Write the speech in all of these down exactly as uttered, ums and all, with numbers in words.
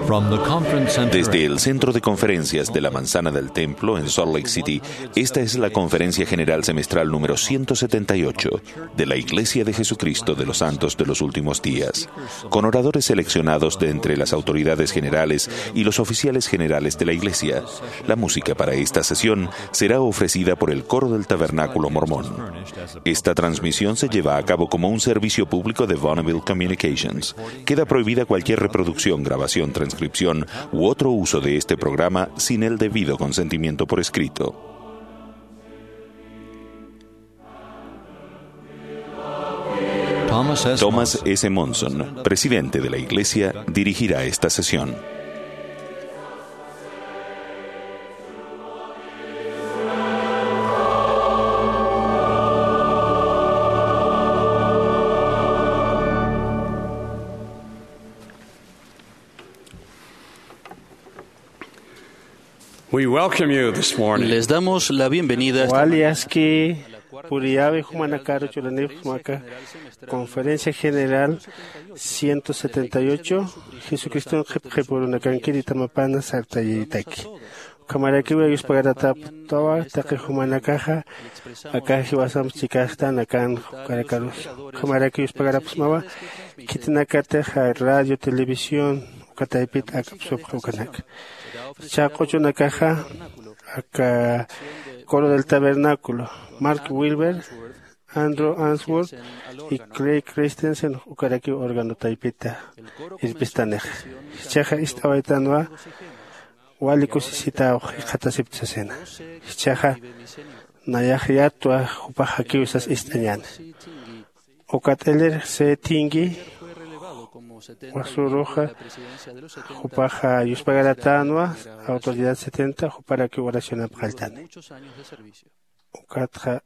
From the conference center. Desde el Centro de Conferencias de la Manzana del Templo en Salt Lake City, esta es la Conferencia General Semestral número ciento setenta y ocho de la Iglesia de Jesucristo de los Santos de los Últimos Días, con oradores seleccionados de entre las autoridades generales y los oficiales generales de la Iglesia. La música para esta sesión será ofrecida por el Coro del Tabernáculo Mormón. Esta transmisión se lleva a cabo como un servicio público de Bonneville Communications. Queda prohibida cualquier reproducción, grabación, transcripción u otro uso de este programa sin el debido consentimiento por escrito. Thomas S. Thomas Monson, S. Monson, presidente de la Iglesia, dirigirá esta sesión. We welcome you this morning. Les damos la bienvenida esta mañana. Wali aski puriyäwi jumanakaru churanipxsma aka Conferencia General ciento setenta y ocho, Jesucriston qhipqhipürunakankiri tamapana sartayitaki. Ukhamarakiwa yuspagarapxtawa taqi jumanakaxa, aka jiwasamp chikaxtan akan ukarakarus. Ukhamaraki yuspagarapxsmawa khitinakatix radio, televisión, uka taypit akapsupxi ukanaka. Chaq'uchunakaxa, aka Coro del Tabernáculo, Mark Wilber, Andrew Answorth y Craig Christensen, ukarakiw órgano taypita irpistanixa. Jichhaxa ist'awaytanwa, wali kusisitaw jikxatasipta sasina. Jichhaxa nayax yatwa jupax jakiw sas ist'añäni. Ukat Elder C. Tingey, wasuruxa jupaxa yuspagaraptänwa, autoridad setenta, juparakiw oracionamp qalltani. Ukatxa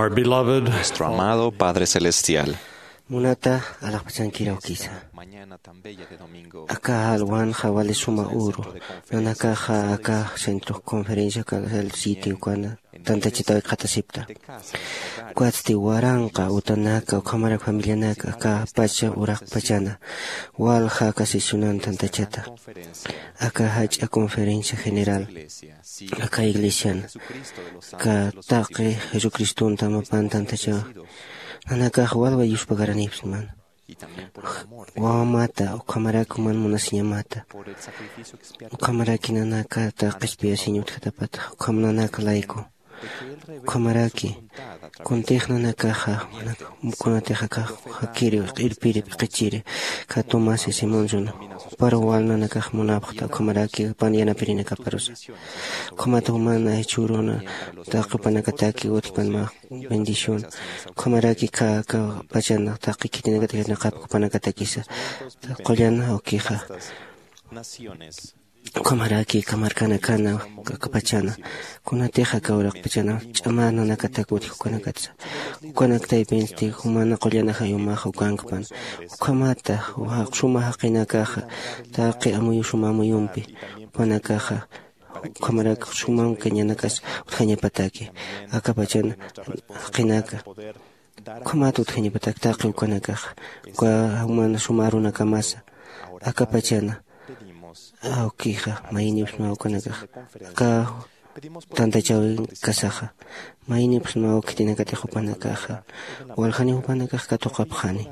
Our beloved Nuestro amado Padre Celestial. Munata alaxpachankiraw kisa. Mañana tan bella de domingo. Aka alwanxa wali suma uru. Nanakaxa aka centro conferencia kal sitio ukana tantachataw qhatasipta. Ukatsti waranqa utanaka ukhamarak familianaka aka pacha uraqpachana walja aka sesionan tantachata. Aka jach'a conferencia general aka iglesian, aka taqi Jesucristonta mapan tantachawa. Nanakax walwa yuspagaranipsman. Wawamata, ukhamaraki man munasiñamata. Ukhamaraki nanaka taqi qhispiyasiñ utjatapata, ukham nanaka layku. Ukhamaraki kuntix nanakaxa kunatix aka jakiri, irpiri, p'iqichiri, katumasi Simonson, juparu wal nanakax munapxta, ukhamaraki pan yanapirinakaparusa. Ukhamata jumana jichhüruna taqi jupanakataki utjpan mä bendición. Ukhamaraki aka pachana taqi khitinakatix yanaqapki jupanakatakisa. Qullan awkixa. Ukhamaraki aka markanakana aka pachana. Kunatix aka uraqpachana ch'ama nanakatak utji ukanakatsa. Ukanaktaypinsti jumana qullan ajayumaxa ukankpan. Ukhamata suma jaqinakaxa taqi amuyu suma amuyumpi jupanakaxa ukhamarak suma kañanakas utjañapataki. Aka pachan jaqinaka ukhamat utjañapatak taqi ukanakaxa. Uka jumana suma arunakamasa. Aka pachana awkixa mayinipsmaw ukanakaxa. Aka tantachawin kasaxa mayinipsmaw khitinakatix jupanakaxa. Waljani jupanakax katuqapxani.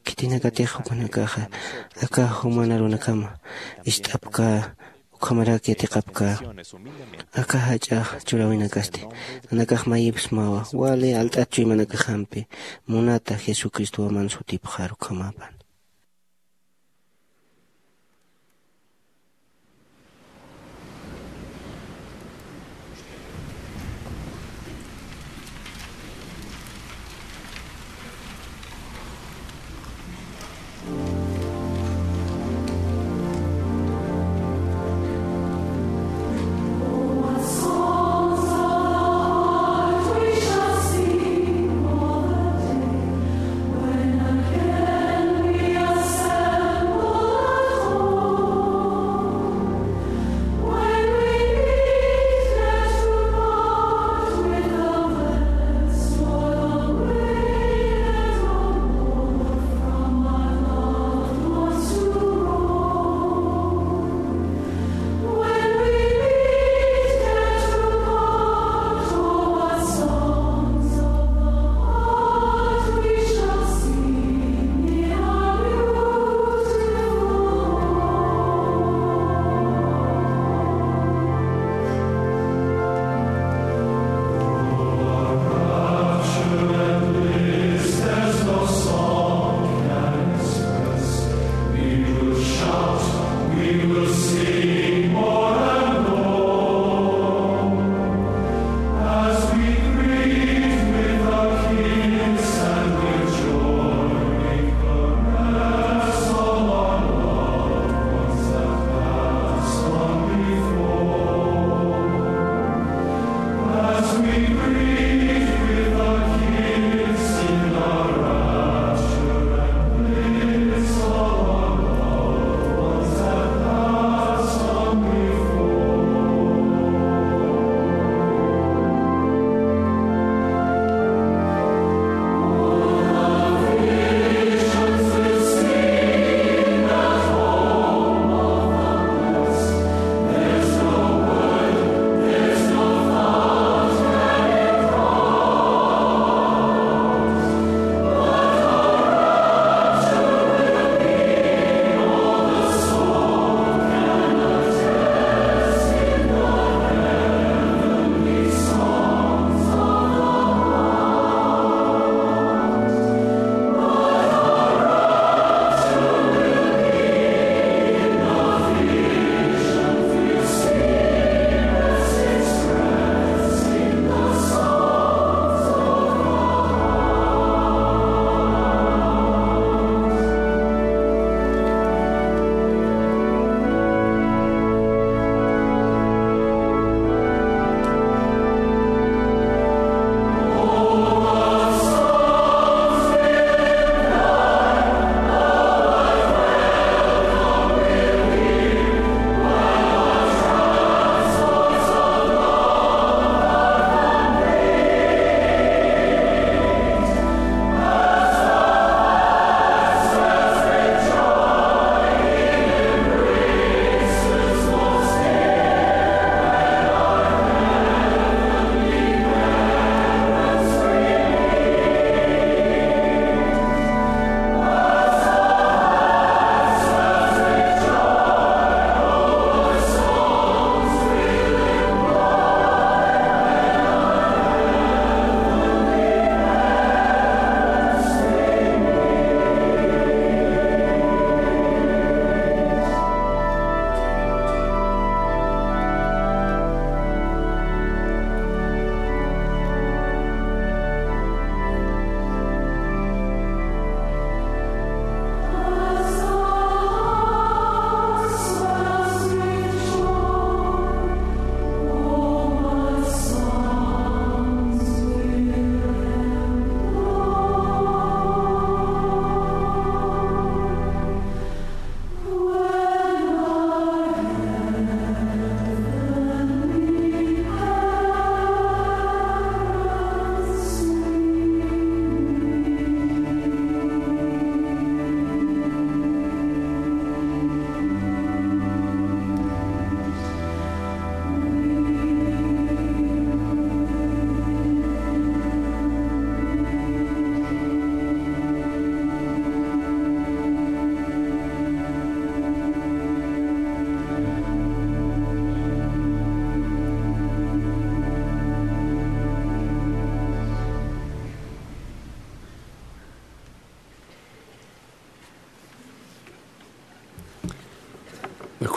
Khitinakatix jupanakaxa aka juman arunakama ist'apkä ukhamaraki yatiqapkä. Aka jach'a churäwinakasti nanakax mayipsmawa wali alt'at chuymanakaxampi munata Jesucristowa man sutipxar ukhamapan.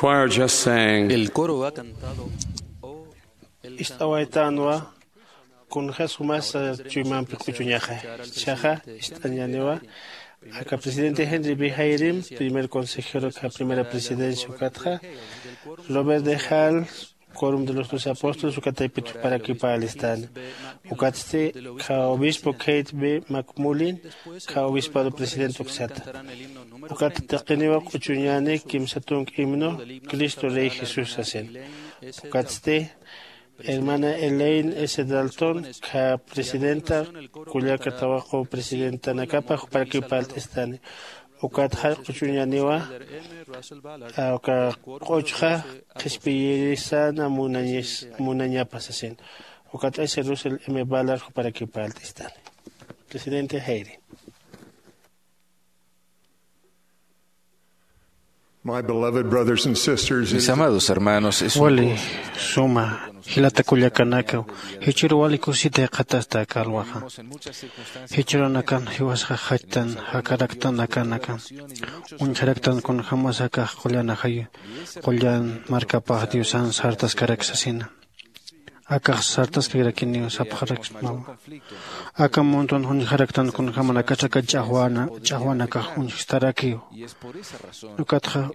Choir just sang. El coro ha cantado, "Oh, el ist'awaytanwa kunjas jumas chuymampi q'uchuñaxa. Chaxa ist'añaniwa aka presidente Henry B Hayrim, primer consejero ka primera presidencia ukatxa, Robert de Hall, quorum de los doce apóstoles ukataypit juparakipalistani. Ukatsti ka obispo Kate B McMullin, ka obispado presidente uksata. Ukat taqiniwa q'uchuñani kimsa tunk himno, Cristo Rey Jesús sasin. Ukatsti hermana Elaine S Dalton, ka presidenta kullaka tawaqu presidentanakapa juparakipalt'istani. Ukat jallq'uchuñaniwa uka q'uchxa qhispiyirisana munañapa sasin. Ukat ese Russell M Ballard juparakipalt'istani. Presidente Hayri. My beloved brothers and sisters, mis amados hermanos, es un wali gozo suma jilata kullakanaka, jichhüru wali kusita jikxatasta aka alwaxa. Jichhürunakan jiwasxa jachtan jakaraktan akanaka, uñjaraktan kunjämas akax qullan ajay, qullan markapax Diosan sartaskarak sasina. Akax sartaskarakiniw sapxaraksmawa. Aka muntun uñjaraktan kunjämanakasa aka ch'axwana ch'axwanakax uñjstarakiw. Ukatxa,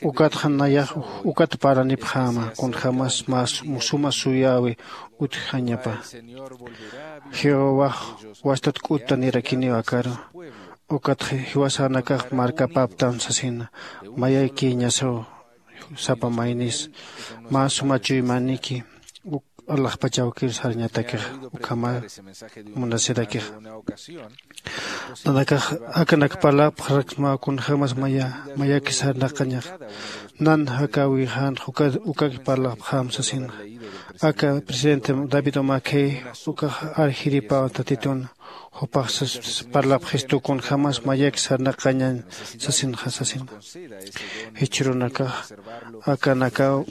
ukatxa nayax ukat parlanipxäma kunjämas mä suma suyäwi utjañapa. Jehovax wastat k'uttanirakiniw akaru. Ukatxa jiwasanakax markapäptan sasina, mayaykiñasaw sapa maynis, mä suma chuymaniki uk alaxpach awkir sarñatakixa, ukhama munasirakixa. Nanakax akanak parlapxaraksmaw kunjämas maya mayaki sarnaqañaxa. Nan jakawixänxa ukaki parlapxäm sasinxa. Aka presidente David Umakey ukax arjiripaw Tatitun, jupax parlapxistu kunjämas mayaki sarnaqañañ sasinxa sasina. Jichhürunakax akanakaw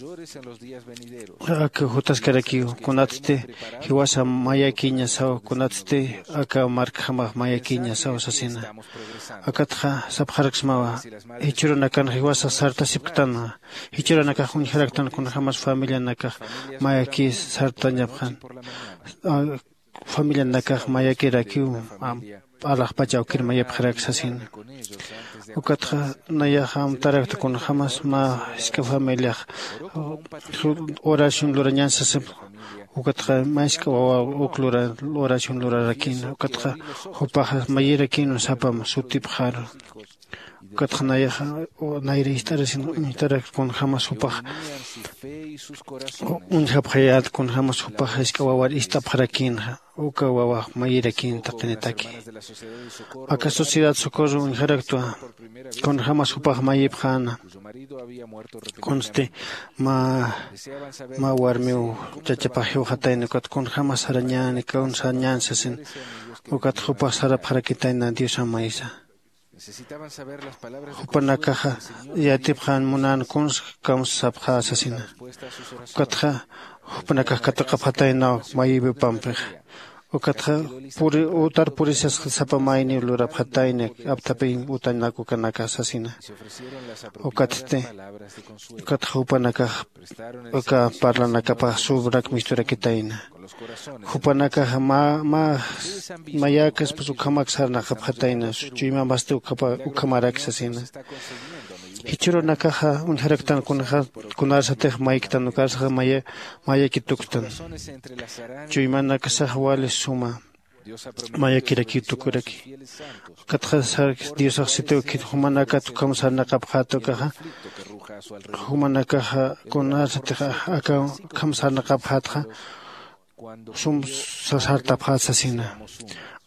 aka jutaskarakiw, kunatsti jiwasa mayakiñasaw, kunatsti aka markjamax mayakiñasaw sasina. Akatxa sapxaraksmawa, jichhürunakanxa jiwasax sartasipktanwa, jichhürunakax uñjaraktan kunjämas familianakax mayaki sartañapxän. Familianakax mayakirakiw alaxpach awkir mayapxarak sasina. Ukatxa nayaxa amtarakta kunjämas mä jisk'a familiax oración lurañan sasipx. Ukatxa mä jisk'a wawa uk lura oración lurarakïna. Ukatxa jupaxa mayirakinwa sapam sutipxaru. Ukatxa nayaxa nayra ist'arasin uñjtarak kunjämas jupax uñjapxayät kunjämas jupax jisk'a wawar ist'apxarakïnxa. Uka wawax mayirakin taqinitaki. Aka sociedad Socorro uñjaraktwa kunjämas jupax mayipxäna. Kunsti mä mä warmiw chachapax jiwxatayna ukat kunjämas sarañäni kun sarañäni sasin. Ukat jupax sarapxarakitayna Diosan maysa. Jupanakaxa yatipxän munän kuns kamsa sapxä sasina. Ukatxa jupanakax katuqapxataynaw mayïwipampixa. Ukatxa puri utar purisas sapa mayniw lurapxatayna apthapiñ utanak ukanaka sasina. Ukatsti ukatxa jupanakax uka parlanakapax subrak misturakitayna. Jupanakaxa mä mä mayäkaspas ukhamak sarnaqapxatayna, chuymambasti ukhamarak sasina. Jichhürunakaxa uñjaraktan kunarsatix mayktan ukarsaxa maya mayaki tuktan. Chuymanakasax wali suma mayakirakiw tukuraki. Ukatxa diosax sitiw khit jumanakat ukham sarnaqapxät ukaxa, jumanakaxa kunarsatix aka ukham sarnaqapxätxa sum sartapxät sasina.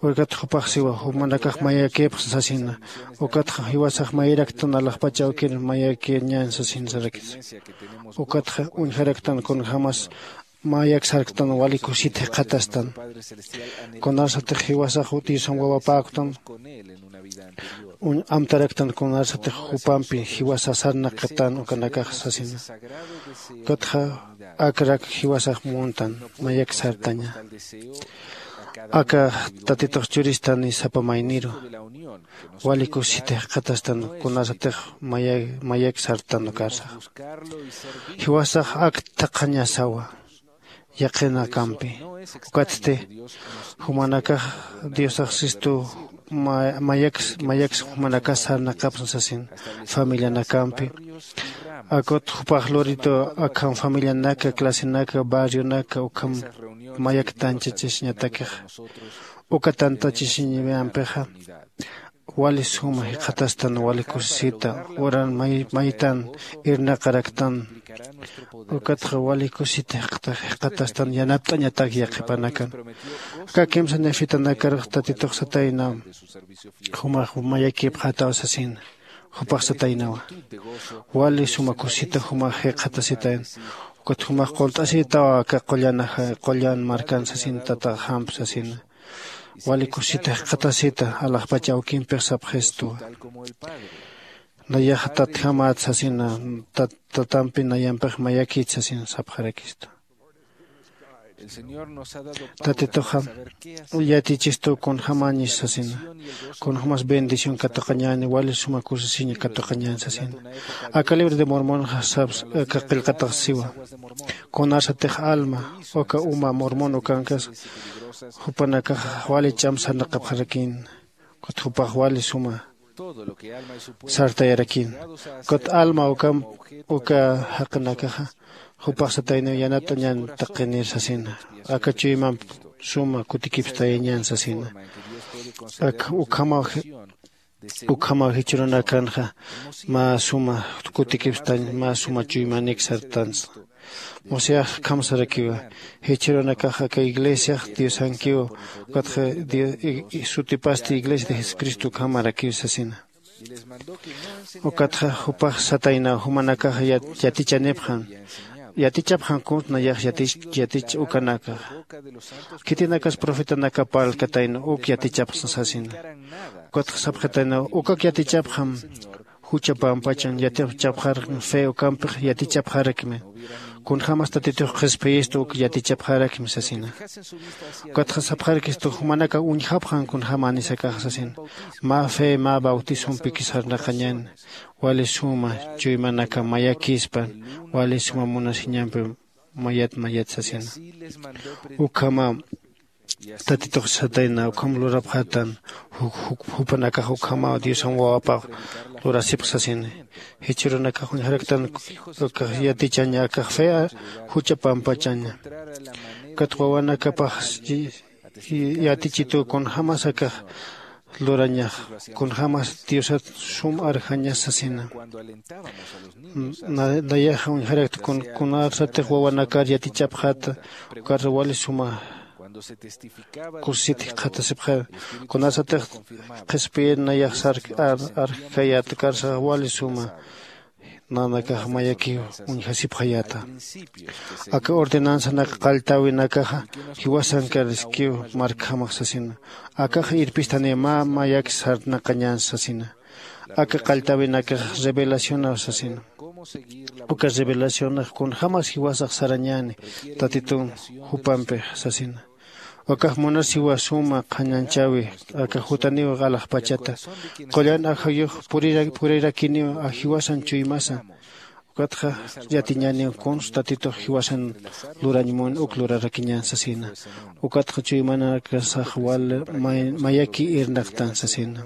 Ukat jupax siwa jumanakax mayakïpxsa sasina. Ukatxa jiwasax mayiraktan alaxpach awkir mayakiñän sasin sarakis. Ukatxa uñjaraktan kunjämas mayak sarktan wali kusit jikxatastan. Kunarsatix jiwasax diosan wawapäktan amtaraktan kunarsatix jupampi jiwasa sarnaqtan ukanakax sasina. Ukatxa akrak jiwasax muntan mayak sartaña. Aka tatitux churistani sapa mayniru wali kusisita jikxatastan kunasatix mayak sartan ukarsax. Jiwasax ak thaqhañasawa yaqhinakampi. Ukatsti jumanakax diosax sistu mayaks mayaks jumanakas sarnaqapsa sasin familianakampi. Akut jupax luritu akham familianaka clasenaka barrionaka ukham mayaktanchachasñatakixa uka tantachasiñampixa wali suma jikxatastan wali kusisita uran maytan irnaqaraktan. Ukatxa wali kusisita jikxatastan yanapt'añatak yaqhipanakan. Aka kimsa nefitanakarux tatitux satayna jumax mayakipxataw sasina. Jupax sataynawa wali suma kusisita jumax jikxatasitayan. Ukat jumax qult'asitawa aka qullan markan sasin tataxamp sasina. Wali kusisita jikxatasita alaxpach awkimpix sapxistwa. Nayaxa tatjamat sasina. Tatampi nayampix mayakit sasina sapxarakistu. Tatituxa yatichistu kunjämañis sasina. Kunjämas bendición katuqañäni wali suma kusisiña katuqañän sasina. Aka libro de mormonxa saps aka qillqatax siwa. Kunarsatix alma uka uma mormon ukankas jupanakaxa wali ch'am sarnaqapxarakïn. Ukat jupax wali suma sartayarakïn. Ukat alma uka jaqinakaxa jupax satayniw yanapt'añän taqinir sasina. Aka chuymamp suma kutikipstayañän sasina. Ak ukhamaw ukhamaw jichhürunakanxa mä suma kutikipstañ mä suma chuymanik sartansa. Musayax khamsarakiwa jichhürunakax aka iglesiax diosankiw ukatxa sutipasti iglesia de jesucristo ukhamarakiw sasina. Ukatxa jupax sataynaw jumanakax yatichanipxan yatichapxan kuns nayax yatich ukanakaxa. Khitinakas profetanaka parlkatayna uk yatichapxsa sasina. Ukatxa sapxitaynaw ukak yatichapxam jucha pampachan yatichapxarakmi fe ukampix yatichapxarakmi. Kunjämas tatitux qhispiyistu uk yatichapxarakmi sasina. Ukatxa sapxarakistu jumanakax uñjapxan kunjämänisakaxa sasina. Mä fe mä bautizompiki sarnaqañäni wali suma chuymanaka mayakispan wali suma munasiñampi mayat mayat sasina. Ukhamaw tatitux satayna ukham lurapxätan. Jupanakax ukhamaw diosan wawapax lurasipx sasini. Jichhürunakax uñjaraktan ukax yatichaña akax fea jucha pampachaña. Ukat wawanakapax yatichituw kunjämas akax lurañax kunjämas diosat sum arjañas sasina. Nayaxa uñjarakta kunarsatix wawanakar yatichapxäta ukarsa wali suma kusisit jikxatasipxäna. Kunarsatix qhispiyir nayax sark arjkayät ukarsax wali suma nanakax mayakiw uñjasipxayäta. Aka ordenanzanak qalltäwinakaxa jiwasankar iskiw markhamax sasina. Akax irpistaniw mä mayak sarnaqañän sasina. Aka qalltäwinakax revelacionaw sasina. Uka revelacionax kunjämas jiwasax sarañäni tatitun jupampix sasina. Ukax munasiwa suma qhañanchäwi aka jutaniw alaxpachata qullan ajayux purirakiniw jiwasan chuymasa. Ukatxa yatiñäniw kuns tatitux jiwasan lurañ mun uk lurarakiñän sasina. Ukatxa chuymanakasax wal mayaki irnaqtan sasina.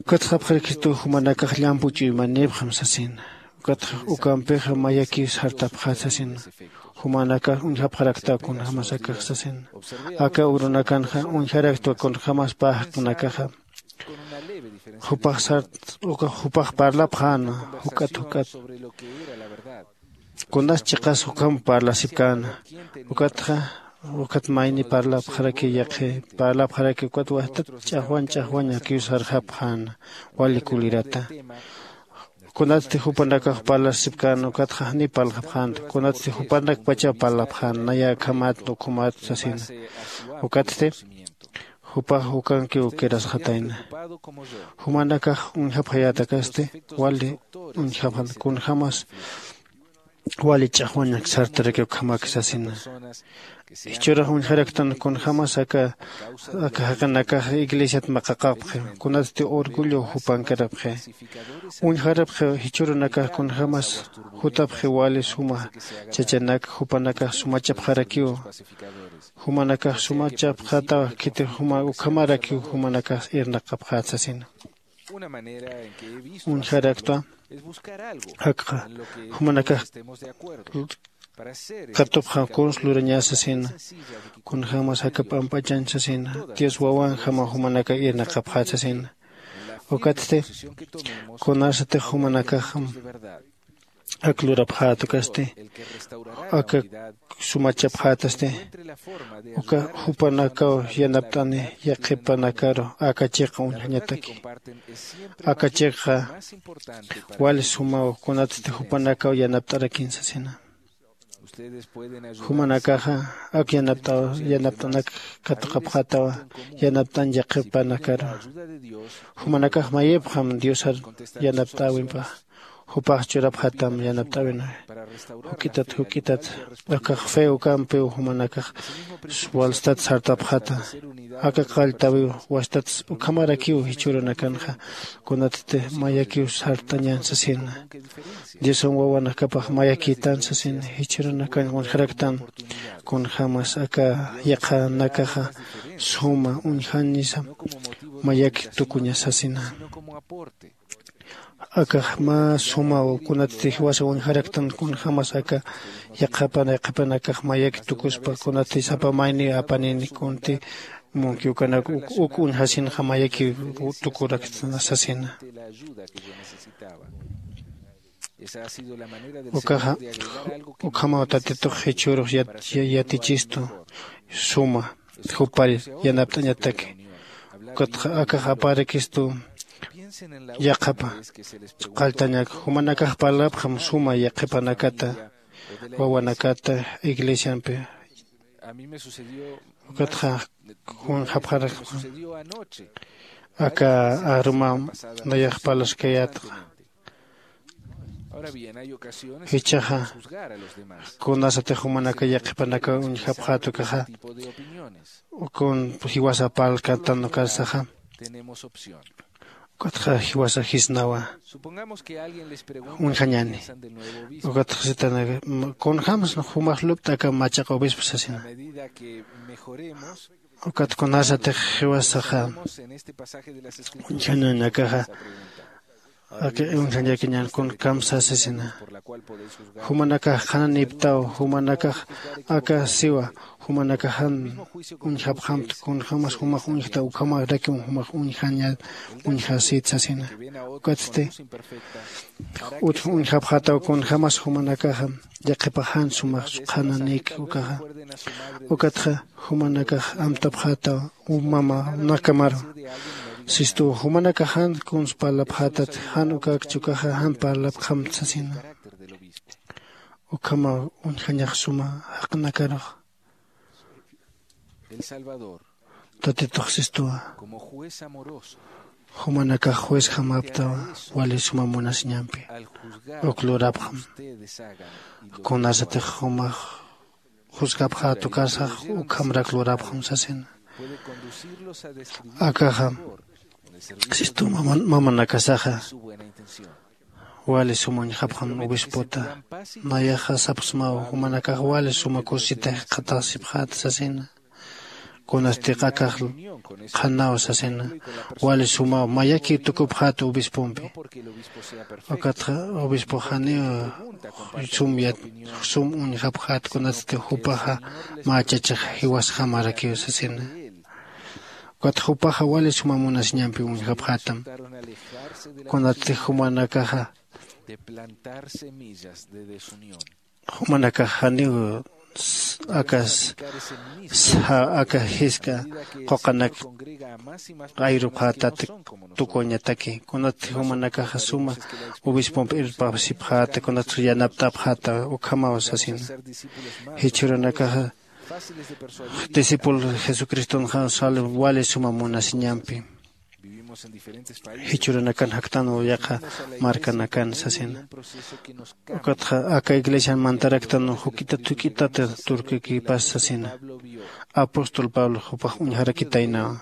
Ukatxa sapxarakistu jumanakax llampu chuymanipxam sasina. Ukatxa ukampixa mayakiw sartapxät sasina. Jumanakax uñjapxarakta kunjämas akax sasina. Aka urunakanxa uñjaraktwa kunjämas pä jaqinakaxa jupax sart ukax jupax parlapxäna juk'at juk'at. Kunas chiqas ukham parlasipkäna. Ukatxa ukat mayni parlapxaraki yaqhi parlapxaraki ukat wajtat ch'axwañ ch'axwañ akiw sarxapxäna. Wali kulirata kunatsti jupanakax parlasipkäna ukatxa janiw parlxapxänta kunatsti jupanakpachaw parlapxäna naya akhamat ukhumat sasina. Ukatsti jupax ukankiw ukirasxatayna. Jumanakax uñjapxayätakasti wali uñjapxan kunjämas wali ch'axwañak sartarakiw ukhamak sasina. Jichhürux uñjaraktan kunjämas aka aka jaqinakax iglesiat maqaqapxi, kunatsti orgullo jupankarapxi. Uñjarapxi jichhürunakax kunjämas jutapxi wali suma chachanak jupanakax sumachapxarakiw. Jumanakax sumachapxätaw khiti juma ukhamarakiw jumanakax irnaqapxät sasina. Uñjaraktwa akxa jumanakax katupxam kuns lurañä sasina. Kunjämas aka p'amp'achañ sasina, dios wawanjamaw jumanakax irnaqapxät sasina. Ukatsti kunasatix jumanakaxam ak lurapxät ukasti aka sumachapxätasti, uka jupanakaw yanapt'ani yaqhipanakaru aka chiqa uñjañataki. Aka chiqa wali sumaw kunatsti jupanakaw yanapt'arakin sasina. Jumanakaxa ak yanapt'aw yanapt'anak katuqapxätawa yanapt'añ yaqhipanakaru. Jumanakax mayipxam diosar yanapt'äwimpa. Jupax churapxätam yanapt'äwinxa. Juk'itat juk'itat akax fe ukampiw jumanakax walstat sartapxäta. Aka qalltäwiw wastat ukhamarakiw jichhürunakanxa kunatsti mayakiw sartañän sasina. Diosan wawanakapax mayakïtan sasina jichhürunakan uñjaraktan. Kunjämas aka yaqhanakaxa suma uñjañisa mayaki tukuña sasina. Akax mä sumaw kunatsti jiwasa uñjaraktan kunjämas aka yaqhapana yaqhipanakax mayaki tukuspa kunatsti sapa mayniw apanini kunti munki ukanak uk uñjasinxa mayaki tukuraktan sasina. Ukaxa ukhamaw tatitux jichhürux yatichistu suma jupar yanapt'añataki. Ukatxa akax aparakistu yaqhapa qalltañak jumanakax parlapxam suma yaqhipanakata wawanakata iglesiampi. Ukatxa uñjapxarakma aka arumam nayax parlaskayätxa. Jichhaxa kunasatix jumanaka yaqhipanaka uñjapxät ukaxa kun jiwasa parlkatan ukarsaxa ukatxa jiwasa jisnawa uñjañäni. Ukatxa sitanaka kunjämsa jumax lup't'aka machaq obispo sasina. Ukat kunasatix jiwasaxa uñjañañakaxa aka uñjañakiñän kunjämsa sasina. Jumanakax qhananïptaw jumanakax aka siwa jumanakax jan uñjapxamta kunjämas jumax uñjta ukhamarakiw jumax uñjañät uñjasït sasina. Ukatsti utj uñjapxätaw kunjämas jumanakaxa yaqhipax jan sumax qhananïk ukaxa. Ukatxa jumanakax amtapxätaw mama nakamaru. Sistuw jumanakax jan kuns parlapxätat jan ukakchi ukaxa jan parlapxamt sasina. Ukhamaw uñjañax suma jaqinakarux. Tatitux sistuwa jumanakax juezjamaptawa wali suma munasiñampi. Uk lurapxam kunasatix jumax juzgapxät ukarsax ukhamrak lurapxam sasina. Akaxa sistu mamanakasaxa wali suma uñjapxam obispota. Nayaxa sapxsmaw jumanakax wali suma kusita jikxatasipxäta sasina. Kunastix akax qhanaw sasina wali sumaw mayaki tukupxäta obispompi. Ukatxa obispox janiw sum yat sum uñjapxäta kunatsti jupaxa mä chachix jiwasjamarakiw sasina. Ukatxa jupaxa wali suma munasiñampi uñjapxätam. Kunatsti jumanakaxa jumanakax janiw aka aka jisk'a quqanak ayrupxätat tukuwañataki. Kunatsti jumanakaxa suma obispompi irpasipxäta kunatsti yanapt'apxäta ukhamaw sasina. Jichhürunakaxa discípulo jesucristonxa sal wali suma munasiñampi. Jichhuranakan jaktanwa yaqha markanakan sasina. Ukatxa aka iglesian mantaraktanwa juk'itat juk'itat turkikipas sasina. Apóstol pablo jupax uñjarakitaynawa.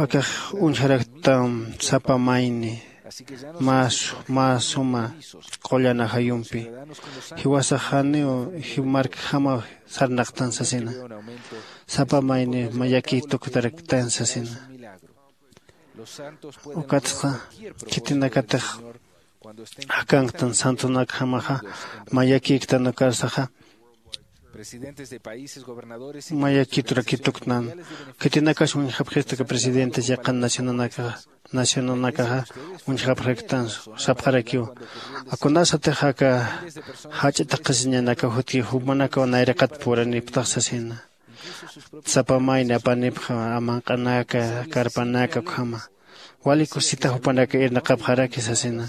Akax uñjaraktam sapa mayni mä su- mä suma qullan ajayumpi jiwasax janiw markjamaw sarnaqtan sasina. Sapa mayni mayaki tuktaraktan sasina. Ukatxa khitinakatix jakanktan santonakjamaxa mayakïktan ukarsaxa mayakiturakituktnan. Khitinakas uñjapxista aka presidentes yaqhan nacionanakaxa nacionanakaxa uñjapxaraktan sapxarakiw. Akunasatix aka jach'a taqisiñanakaw jutki jumanakaw nayraqat puraniptax sasina. Sapa mayni apanipxa amanq'anaka karpanaka ukhama wali kusisita jupanaka irnaqapxaraki sasina.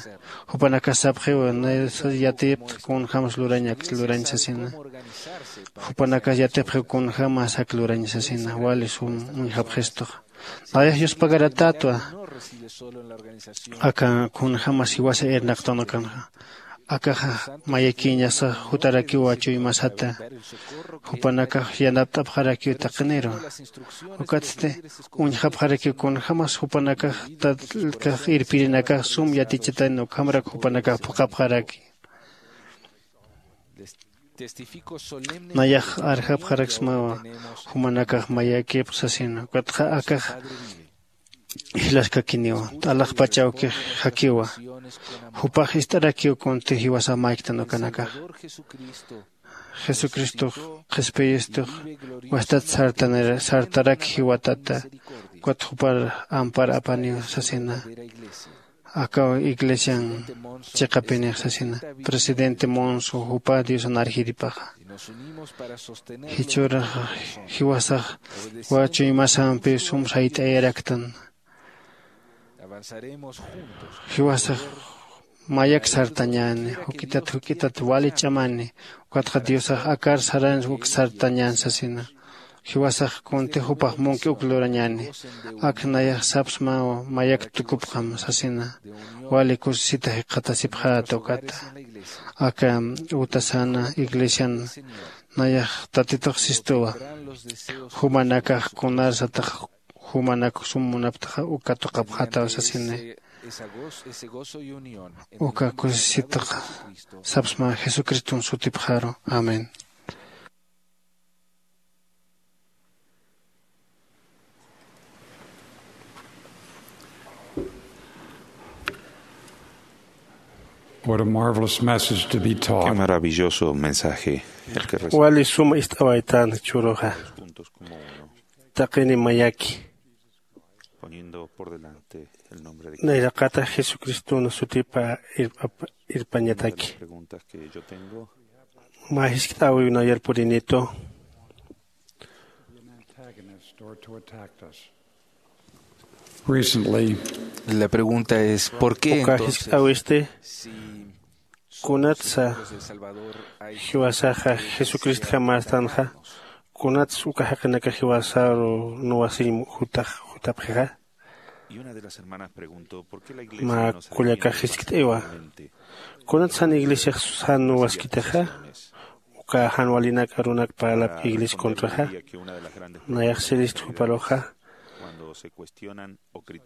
Jupanakas sapxiw naysa yatipxta kunjämas lurañak lurañ sasina. Jupanakas yatipxiw kunjämas ak lurañ sasina wali sum uñjapxistuxa. Nayax yuspagaratätwa aka kunjämas jiwasa irnaqtanakanxa. Akaxa mayakïñasa jutarakiwa chuymasata. Jupanakax yanapt'apxarakiw taqiniru. Ukatsti uñjapxarakiw kunjämas jupanakax tatkax irpirinakax sum yatichatan ukhamrak jupanakax phuqhapxaraki. Nayax arjapxaraksmawa jumanakax mayakïpx sasina. Ukatxa akax jilaskakiniwa t'alaxpach awkix jakiwa. Jupax ist'arakiw kunti jiwasax mayktan ukanakax. Jesucristox qhispiyistux wastat sartanir sartarak jiwatata. Ukat jupar ampar apaniw sasina. Akaw iglesian chiqapinix sasina. Presidente monso jupa diosan arjiripaxa. Jichhüraxa jiwasax wachuymasampi sum sayt'ayaraktan. Jiwasax mayak sartañäni juk'itat juk'itat wali ch'amäni. Ukatxa diosax akar saran uk sartañän sasina. Jiwasax kunti jupax munki uk lurañäni. Ak nayax sapsmaw mayak tukupxam sasina. Wali kusisita jikxatasipxäta ukata aka utasana iglesian. Nayax tatitux sistuwa. Jumanakax kunarsatax jumanak sum munaptaxa uka tuqapxätaw sasini. Uka kusisitax sapsma jesucriston sutipxaru. Amén. What a marvelous message to be taught. Qué maravilloso mensaje el que recibe. Wali suma ist'awaytan churuxa. Taqini mayaki. Poniendo por delante el nombre de Cristo. Nayraqata jesucristona sutipa irp- irpañataki. Preguntas que yo tengo. Mä jiskt'äwiw nayar purinitu. Recently, la pregunta es, ¿por qué uka entonces, jiskt'äwisti si kunatsa jiwasaxa jesucristjamästanxa? Kunatsa uka jaqinaka jiwasaru nuwasiñ jutax jutapxixa? Mä kullakax jiskt'iwa, kunatsa jan iglesiax jan nuwaskitixa? Uka jan walinak arunak parlapx iglesia contraxa. Nayax sirist juparuxa,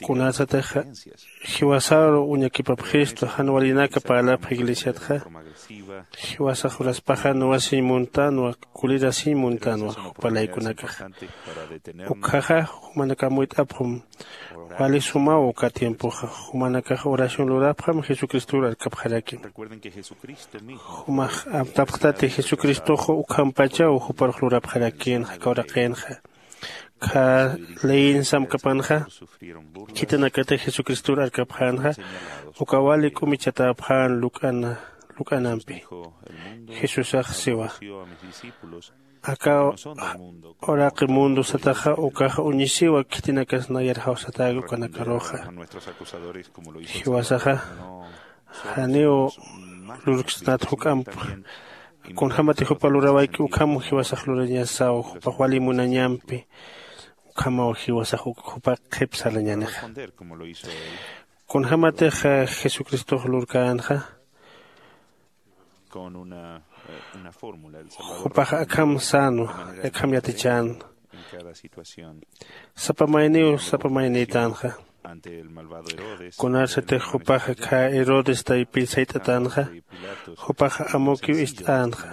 kunatsatix jiwasaru uñakipapxistu jan walinaka parlapx iglesiatxa, jiwasax uraspaxa nuwasiñ muntanwa, kulirasiñ muntanwa jupa laykunakaxa. Ukhaxa jumanakax amuyt'apxam. Wali sumaw uka tiempoxa. Jumanakax oración lurapxam jesucristor arkapxarakim. Jumax amtapxtati jesucristox ukhampachaw juparux lurapxarakïnxa aka uraqinxa. Kha leyin samkapanxa khitinakatix jesucristor arkapxänxa. Uka wali k'umichatäpxän luk'ana luk'anampi. Jesusax siwa, aka uraqi mundo sataxa ukaxa uñisiwa khitinakas nayar jawsatäki ukanakaruxa. Jiwasaxa janiw lurksnat juk'amp. Kunjämatix jupa lurawayki ukham jiwasax lurañasaw jupax wali munañampi. ukhamaw jiwasax uk jupax qhip sarañänixa. Kunjämatix jesucristox lurkänxa, jupax akham sänwa, akham yatichän. Sapa mayniw sapa maynïtänxa. Kunarsatix jupax khä herodes taypin sayt'atänxa, jupax amukiw ist'änxa.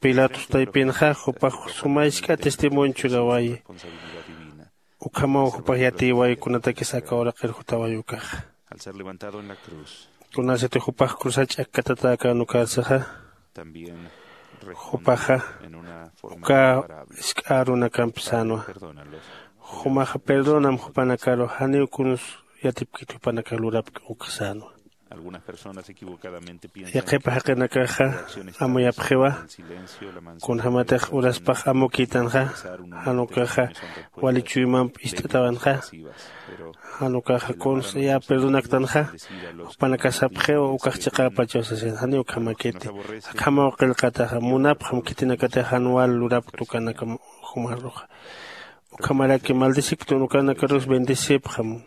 Pilatos taypinxa jupax suma isk'a testimonio churawayi. Ukhamaw jupax yatïway kunatakis aka uraqir jutaway ukaxa. Kunasatix jupax cruzar ch'akkatatäkän ukarsaxa, jupaxa uka isk'a arunakamp sänwa. Jumaxa perdonam jupanakaru, janiw kuns yatipkit jupanakax lurapki uk sänwa. Yaqhipa jaqinakaxa amuyapxiwa. Kunjämatix uraspax amukïtanxa, jan ukaxa wali chuymamp ist'atawanxa. Jan ukaxa kuns ya perdonaktanxa, jupanakax sapxiw ukax chiqäpachaw sasin, janiw ukhamakiti. Akhamaw qillqataxa, munapxam khitinakatix jan wal lurapkta ukanakam jumaruxa. Ukhamaraki maldecipktun ukanakarus bendecipxam.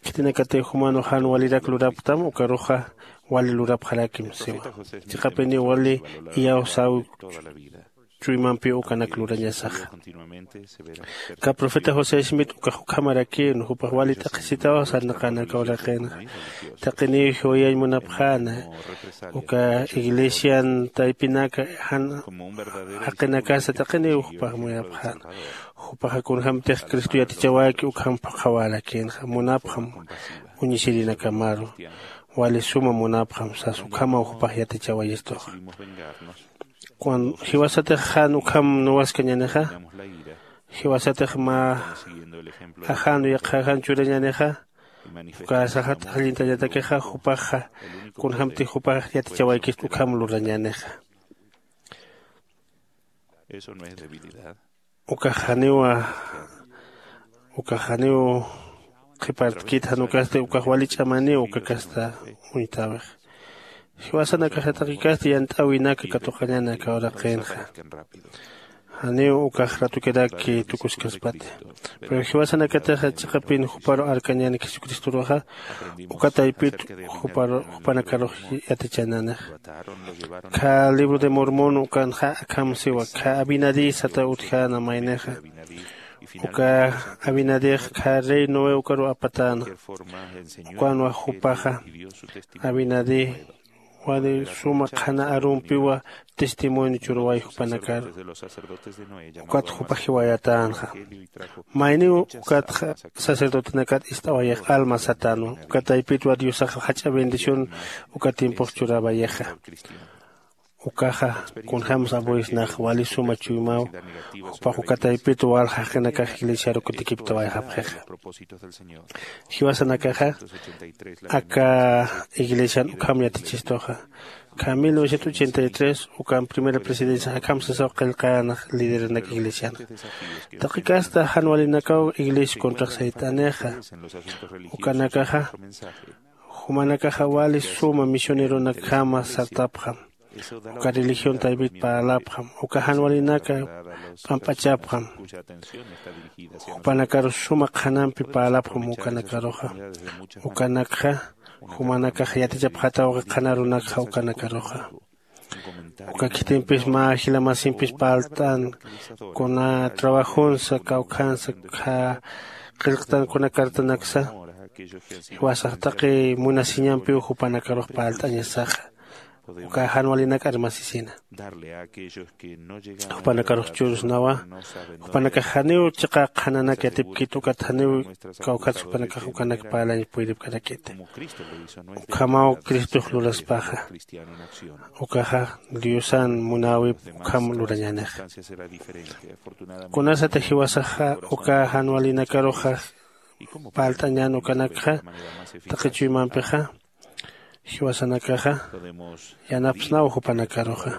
Khitinakatix jumanux jan walirak lurapktam ukaruxa wali lurapxarakim siwa. Chiqapiniw wali iyawsäw chuymampiw ukanak lurañasaxa. Kä profeta josé smith ukax ukhamarakïn, jupax wali t'aqhisitaw sarnaqän aka uraqinxa. Taqiniw jiwayañ munapxäna, uka iglesian taypinaka jan jaqinakasa taqiniw jupax muyapxäna. Jupaxa kunjämtix cristo yatichawayki ukham phuqhawärakïnxa, munapxam uñisirinakamaru. Wali suma munapxam sas ukhamaw jupax yatichawayistuxa. Jiwasatix jan ukham nuwaskañänixa, jiwasatix mä ajänu yaqha ajan churañänixa, uka saxat ajllintañatakixa jupaxa kunjämtix jupax yatichawaykist ukham lurañänixa. Ukax janiw ukax janiw qhipartkit, jan ukasti ukax wali ch'amaniw uka kasta uñtäwix. Jiwasanakaxa taqi kasti yant'äwinak katuqañäni aka uraqinxa. Janiw ukax ratukirak tukuskaspati. Pero jiwasanakatixa chiqapin juparu arkañäni jesucristoruxa, uka taypit juparu jupanakarux yatichänänixa. Khä libro de mormon ukanxa akham siwa, khä abinadí sata utjäna maynixa. Uka abinadix khä rey noé ukaru apatäna. Ukanwa jupaxa abinadí wali suma qhana arumpiwa testimonio churway jupanakaru. Ukat jupax jiwayatänxa. Mayniw ukatxa sacerdotenakat ist'awayix alma satänwa. Uka taypitwa diosax jach'a bendición uka tiempox churawayixa. Ukaxa kunjämsa abuesnax wali suma chuymaw. Jupax uka taypit walja jaqinakax iglesiaru kutikiptawayxapxixa. Jiwasanakaxa aka iglesian ukham yatichistuxa. Khä mil novecientos ochenta y tres ukan primera presidencia akham sasaw qillqäna lideranak iglesianxa. Taqi kasta jan walinakaw iglesia contrax sayt'anixa. Ukanakaxa jumanakaxa wali suma misioneronakjama sartapxam. Uka religión taypit parlapxam uka jan walinaka p'amp'achapxam. Jupanakarus suma qhanampi parlapxam ukanakaruxa. Ukanakxa jumanakax yatichapxatawxa qhanarunakxa ukanakaruxa. Uka khitimpis mä jila masimpis parlt'an kuna trabajonsa kawkhansa qillqtan kuna cartanaksa. Jiwasax taqi munasiñampiw jupanakarux parlt'añasaxa. Uka jan walinak armasisina. Jupanakarux churusnawa. Jupanakax janiw chiqa qhananak yatipkit ukat janiw kawkhatsa jupanakax ukanak parlañ puyripkarakiti. Ukhamaw cristox luraspaxa. Ukaxa diosan munäwip ukham lurañänixa. Kunasatix jiwasaxa uka jan walinakaruxa parlt'añän ukanakxa taqi chuymampixa. Jiwasanakaxa yanapsnaw jupanakaruxa.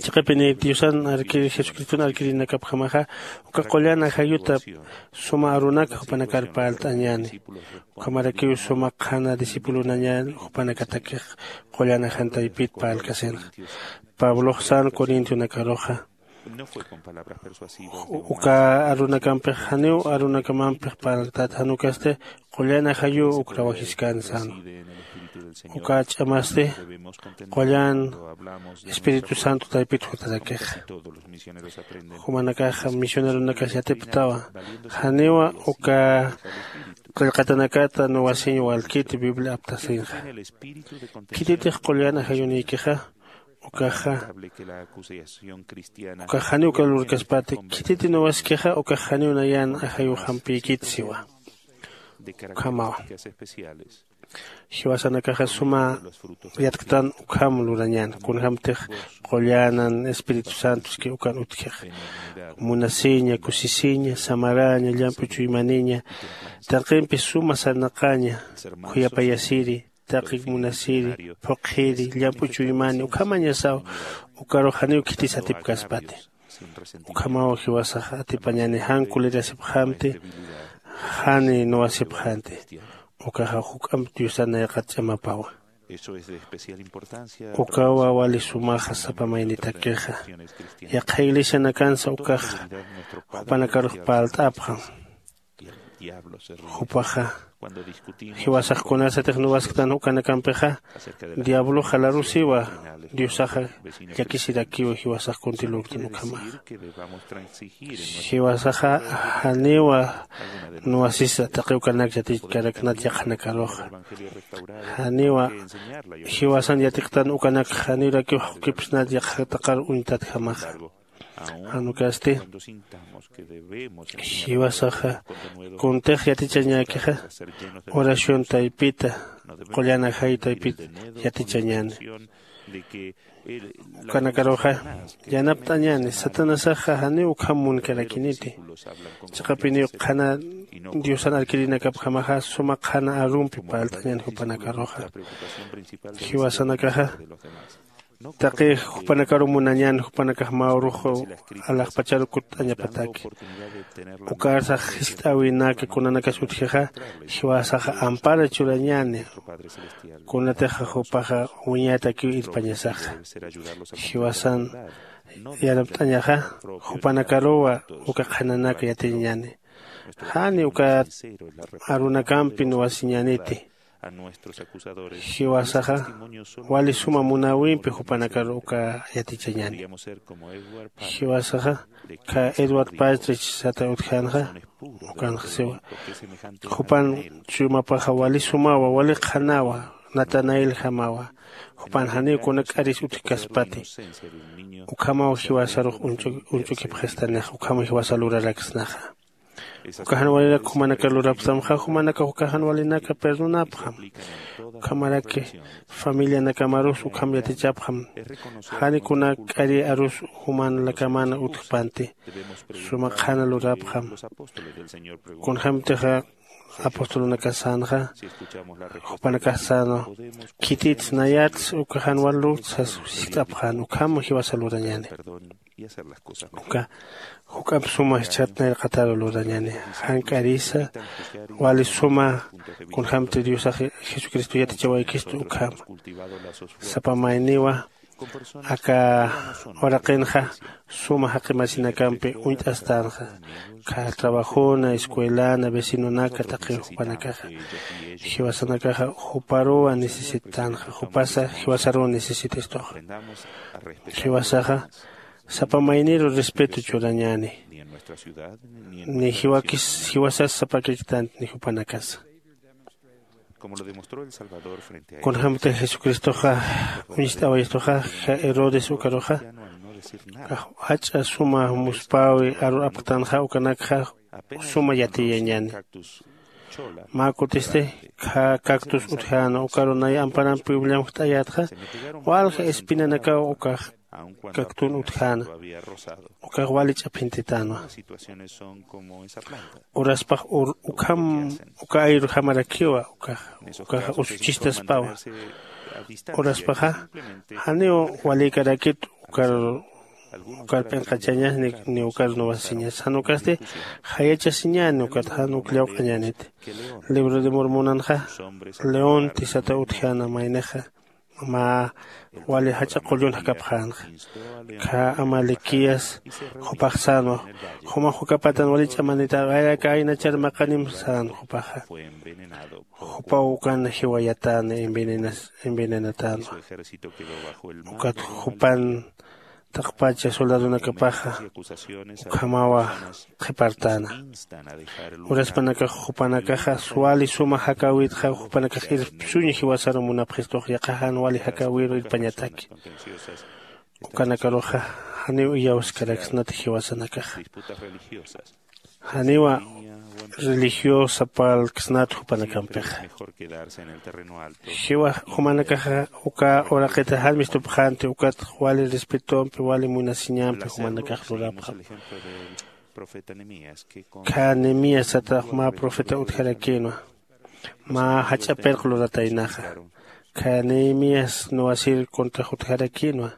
Chiqapini diosan arkir jesucriston arkirinakapjamaxa uka qullan ajayuta suma arunaka jupanakar parlt'añäni. Ukhamarakiw suma qhana discipulonañän jupanakatakix qullan ajan taypit parlkasinxa. Pablox san corintonakaruxa Uka arunakampix janiw arunakamampix parltat, jan ukasti qullan ajayuw uk rawajiskan sänwa. Uka ch'amasti qullan Espíritu Santo taypit jutarakixa. Jumanakax misioneronakas yatipktawa, janiwa uka qillqatanakata nuwasiñ walkiti Biblia aptasinxa. Khititix qullan ajayunïkixa, ukaxa ukax janiw uka lurkaspati. Khititi nuwaskixa ukax janiw nayan ajayuxampïkit siwa. Ukhamawa. Jiwasanakaxa suma yatktan ukham lurañän, kunjämtix qullänan Espíritu Santoski ukan utjixa. Munasiña, kusisiña, samaraña, llamp'u chuymaniña, taqimpi suma sarnaqaña, khuyapayasiri, taqi munasiri, phuqhiri, llamp'u chuymani ukhamañasaw, ukarux janiw khitis atipkaspati. Ukhamaw jiwasax atipañani jan kulirasipxamti, jani nuwasipxanti. Ukaxa juk'amp Diosan nayraqat ch'amapawa. Ukawa wali sumaxa sapa maynitakixa. Yaqha iglesianakansa ukax jupanakarux parlt'apxam. Jupaxa jiwasax kunasatix nuwasktan ukanakampixa, diabloxa larusiwa, Diosaxa llakisirakiwa jiwasax kunti lurktan ukhamaxa. Jiwasaxa janiwa nuwasisa taqi ukanak yatichkaraknat yaqhanakaruxa. Janiwa jiwasan yatiktan ukanak janirakiw jaqukipsnat yaqha taqar uñtatjamaxa. Jan ukasti jiwasaxa kuntix yatichañäkixa, oración taypita, qullan ajay taypita yatichañäni. Ukanakaruxa yanapt'añäni, Satanasaxa janiw ukham munkarakiniti. Chiqapiniw qhana Diosan arkirinakapjamaxa suma qhana arumpi parlt'añäni jupanakaruxa. Jiwasanakaxa taqi jupanakaru munañän, jupanakax mä urux alaxpacharu kutt'añapataki. Ukarsax jiskt'äwinaka kunanakas utjixa, jiwasaxa ampara churañäni. Kunatixa jupaxa wiñatakiw irpañasaxa. Jiwasan yanapt'añaxa, jupanakaruwa uka qhananaka yatiñäni. Jani uka arunakampi nuwasiñäniti. Jiwasaxa wali suma munäwimpi jupanakar uka yatichañäni. Jiwasaxa kha Edward Partridge sata utjänxa, ukanxa siwa. Jupan chuymapaxa wali sumawa, wali qhanawa, Natanaeljamawa. Jupan janiw kuna k'aris utjkaspati. Ukhamaw jiwasarux uñch'u-, uñch'ukipxistanixa, ukhamaw jiwasa luraraksnaxa. Uka jan walinak jumanakar lurapxtamxa, jumanakax uka jan walinaka perdonapxam. Ukhamaraki familianakamarus ukham yatichapxam. Jani kuna k'ari arus jumanakaman utjpanti. Suma qhana lurapxam. Kunjämtixa apostolunakas sänxa, jupanakax sänwa, khitits nayats uka jan wal lurkt sas jiskt'apxän, ukham jiwasa lurañäni. Uka juk'amp suma jichhat nayraqataru lurañäni. Jan k'arisa wali suma kunjämti Diosax Jesucristo yatichawaykistu ukham. Sapa mayniwa aka uraqinxa suma jaqi masinakampi uñt'astänxa. Kha trabajona, escuelana, vecinonaka, taqi jupanakaxa. Jiwasanakaxa juparuwa necesitanxa, jupasa jiwasaruw necesitistuxa. Jiwasaxa sapa mayniru respeto churañäni. Ni jiwakis, jiwasas sapakirktanti ni jupanakasa. Kunjämti Jesucristoxa uñst'awayistuxa, ja Herodes ukaruxa, jach'a suma muspäwi aru apktanxa, ukanakxa suma yatiyañäni. Mä kutisti kha cactus utjäna, ukaru nay amparamp Bibliamp jt'ayätxa, walja espinanakaw ukax cactun utjäna, ukax wali ch'aphintitanwa. Uraspax ur-, ukham, uka ayrujamarakiwa, ukax, ukax usuchistaspawa. Uraspaxa janiw walïkarakit ukar, ukar p'inqachañas ni, ni ukar nuwasiñas. Jan ukasti jayachasiñäni, ukat jan uk llawq'añäniti. Libro de Mormonanxa leonti sata utjäna maynixa. mä wali jach'a qullun jakapxänxa. Kha amalequías jupax sänwa, juma jukapatan wali ch'amanita, ayraka aynachar maqanim sän jupaxa. Jupaw ukan jiwayatäna, envenenas envenenatänwa. Ukat jupan taqpacha soldadonakapaxa ukhamawa qhipartäna. Uraspanakax jupanakaxa wali suma jakäwitxa jupanakax irpsuña jiwasaru munapxistux yaqha jan wali jakäwiru irpañataki. Ukanakaruxa janiw iyawskaraksnati jiwasanakaxa. Janiwa religiosa parlksnat jupanakampixa. Jiwa jumanakaxa uka uraqita jan mistupxänti ukat wali respetompi wali munasiñampi jumanakax lurapxam. Kha nemías satax mä profeta utjarakïnwa. Mä jach'a pirq lurataynaxa. Kha nemías nuwasir contra jutjarakïnwa.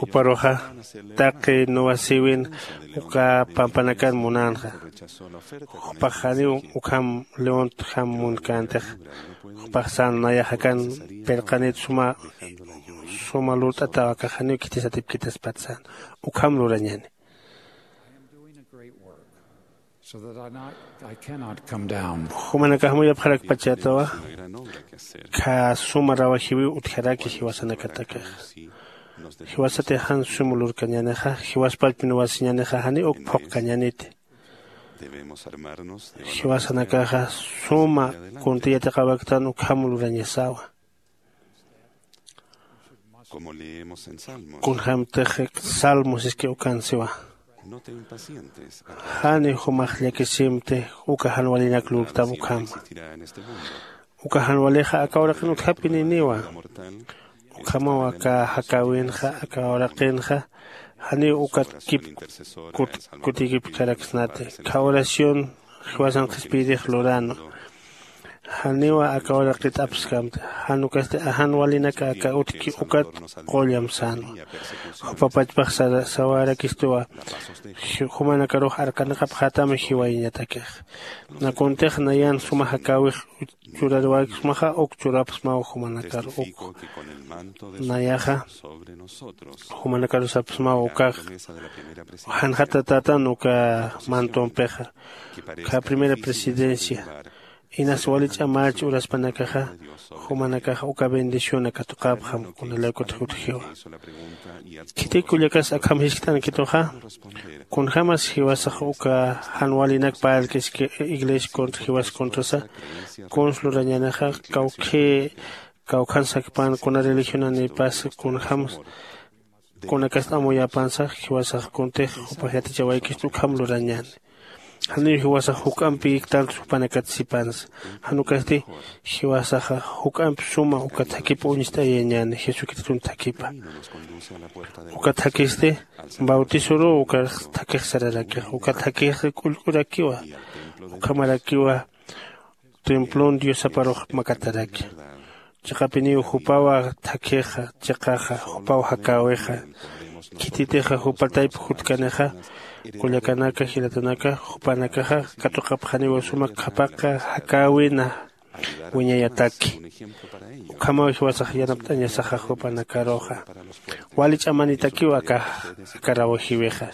Juparuxa taqi nuwasïwin uka pampanakan munänxa. Jupax janiw ukham leontjam munkäntix. Jupax sän nayax akan pirqanit suma suma lurt'ataw akax janiw khitisatipkitaspat sän. Ukham lurañäni. Jumanakax muyapxarakpachätawa. Kha suma rawajiwiw utjaraki jiwasanakatakax. Jiwasatix jan suma lurkañänixa jiwaspallpi nuwasiñänixa janiw uk phuqkañäniti. Jiwasanakaxa suma kunti yatiqawaktan ukham lurañasawa. Kunjämtix salmo siski ukan siwa. Jani jumax llakisimti uka jan walinak lurtam ukhama. Uka jan walixa aka uraqin utjapininiwa. Ukhamaw aka jakäwinxa aka uraqinxa janiw ukat kip kutikipkaraksnati. Kha oración jiwasan qhispiyirix luränwa. Janiwa aka uraqit apskamti. Jan ukasti ajan walinaka aka utjki ukat qullam sänwa. Jupa pachpax sawarakistuwa. Jumanakarux arkanaqapxätam jiwayañatakix. Nakuntix nayan suma jakäwix churariwaksmaxa uk churapxsmaw jumanakar uk. Nayaxa jumanakaru sapxsmaw ukax janxatatätan uka mantompixa. Kha primera presidencia inas wali ch'amäch uraspanakaxa jumanakaxa uka bendición katuqapxam kunalaykut jutjiwa. Khitik kullakas akham jiskt'ankituxa. Kunjämas jiwasax uka jan walinak parlkiski iglesia contra jiwas contrasa kuns lurañänixa kawkhï kawkhan sakpan kuna religionanipas kunjämas kunakast amuyäpansa jiwasax kuntix jupax yatichawaykistu ukham lurañäni. Janiw jiwasax juk'ampi iktantu jupanakat sipansa. Jan ukasti jiwasaxa juk'ampi suma uka thakhipa uñst'ayañäni jesucriston thakhipa. Uka thakhisti bautisoruw uka thakhix sararakix uka thakhix k'ullk'urakiwa. Ukhamarakiwa templon diosaparux makataraki. Chiqapiniw jupawa thakhixa chiqaxa jupaw jakäwixa. Khititixa jupa tayp jutkanixa kullakanaka jilatanaka jupanakaxa katuqapxaniwa suma qhapaqa jakäwina wiñayataki. Ukhamaw jiwasax yanapt'añasaxa jupanakaruxa wali ch'amanitakiw aka aka rawajiwixa.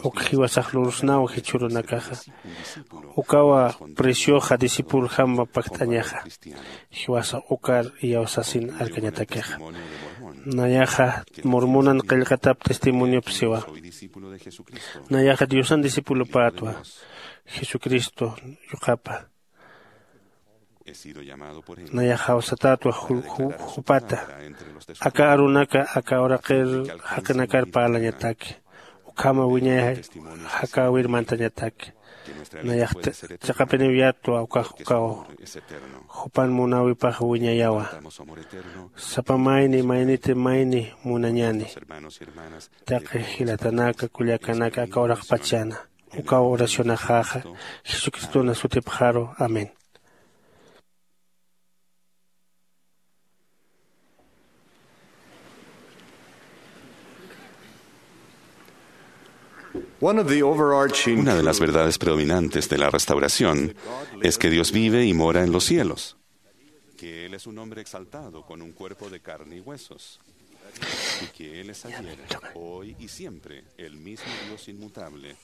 Uk jiwasax lursnaw jichhürunakaxa ukawa precioxa discipuljam pakt'añaxa. Jiwasax ukar iyawsasin arkañatakixa. Nayaxa mormonan qillqatap testimoniop siwa. Nayaxa diosan discipulopätwa jesucristo yuqapa. Nayax jawsatätwa jupata aka arunaka aka uraqir jaqinakar parlañataki. Ukhama wiñay jakäwir mantañataki. Nayax chiqapiniw yatwa ukax ukaw jupan munäwipax wiñayawa. Sapa mayni mayniti mayni munañäni. Taqi jilatanaka kullakanaka aka uraqpachana ukaw oracionaxaxa jesucristona sutipxaru. Amén. Una de las verdades predominantes de la restauración es que Dios vive y mora en los cielos. que Él es un hombre exaltado con un cuerpo de carne y huesos, y que Él es ayer, hoy y siempre el mismo Dios inmutable,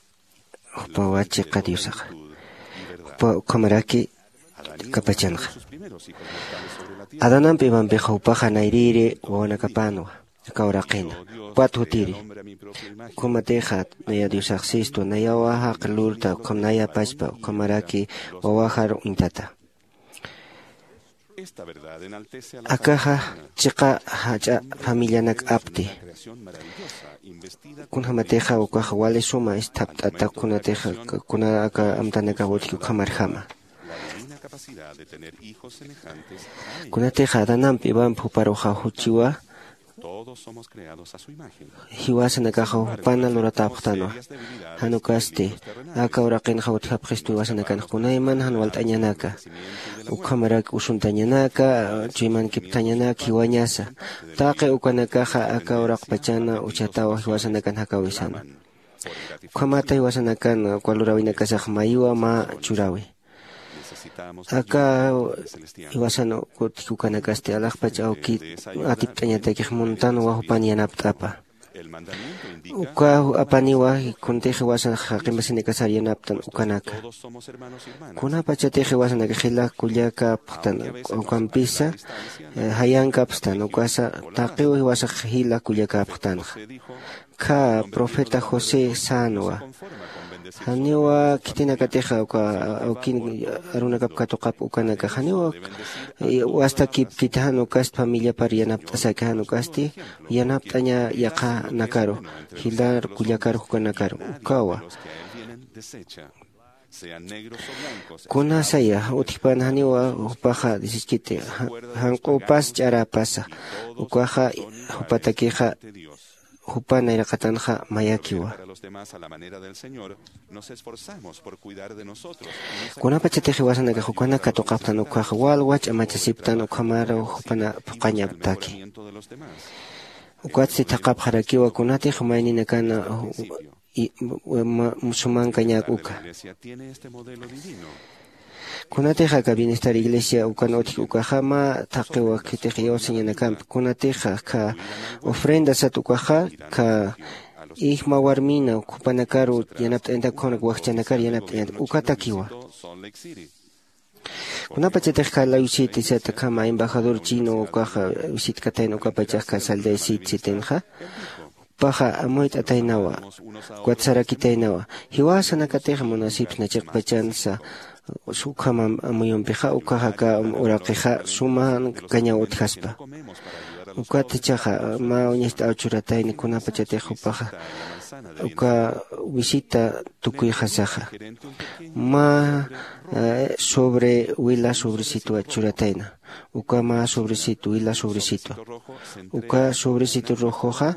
jupawa chiqa diosaxa. Jupa ukhamaraki kapachanxa. Adanampi ivampix jupaxa nayrïri wawanakapänwa. Aka uraqina jupat jutiri. Ukhamatixa naya diosaxsistwa nayawa jaqi lurta ukham naya pachpa ukhamaraki wawajar uñtata. Akaxa chiqa jach'a familianak apti. Kunjamatixa ukaxa wali suma isthapt'ata kunatixa kuna aka amtanakaw utji ukhamarjama. Kunatixa adanampi ivampi juparuxa juchiwa. Jiwasanakaxa jupana luratäpxtanwa. Jan ukasti aka uraqinxa utjapxistu jiwasanakanxa kunayman jan walt'añanaka ukhamarak usuntañanaka chuymankipthañanaka jiwañasa. Taqi ukanakaxa aka uraqpachana uchatawa jiwasanakan jakäwisana. Ukhamata jiwasanakan uka luräwinakasax mayiwa mä churäwi. Aka jiwasan utji ukanakasti alaxpach awki atipt'añatakix muntanwa jupan yanapt'apa. Uka apaniwa kuntix jiwasan jaqimasinakasar yanaptan ukanaka. Kunapachatix jiwasanakax jila kullakäpxtan ukampisa jayankapxtan ukasa taqiw jiwasax jila kullakäpxtanxa. Khä profeta josé sänwa. Janiwa khitinakatixa uka awkin arunakap katuqap ukanakax janiwa wastakipkiti jan ukasti familiapar yanapt'asaki jan ukasti yanapt'aña yaqhanakaru jilar kullakar jukanakaru ukawa. Kunasaya utjpan janiwa jupaxa disiskiti janq'upas ch'arapasa ukaxa jupatakixa jupa nayraqatanxa mayakiwa. Kunapachatix jiwasanakax ukanak katuqapxtan ukkhaxa walwa ch'amachasiptan ukhamaraw jupana phuqañaptaki. Ukatsti thaqhapxarakiwa kunatix mayninakana sumankañäk uka. Kunatix aka bienestar iglesia ukan utjki ukaxa mä thaqiwa khitix iyawsañanakampi kunatixa kha ofrenda sat ukaxa kha ijma warmina jupanakaru yanapt'añatak ukhanak wajchanakar yanapt'añatak ukatakiwa. Kunapachatix kha lawisiti sat ukhama embajador chino ukaxa wisitkatayna ukapachax kha saldaysiti sitinxa jupaxa amuyt'ataynawa. Ukat sarakitaynawa jiwasanakatix munasipsna chiqpachansa ukhama amuyumpixa ukkhaxa aka uraqixa sumankañaw utjaspa. Ukat jichhaxa mä uñast'aw churatayna kunapachatix jupaxa uka wisita tukuyxasaxa mä sobre wila sobresitwa churatayna. Uka mä sobresitwa wila sobresitwa uka sobresitwa rojoxa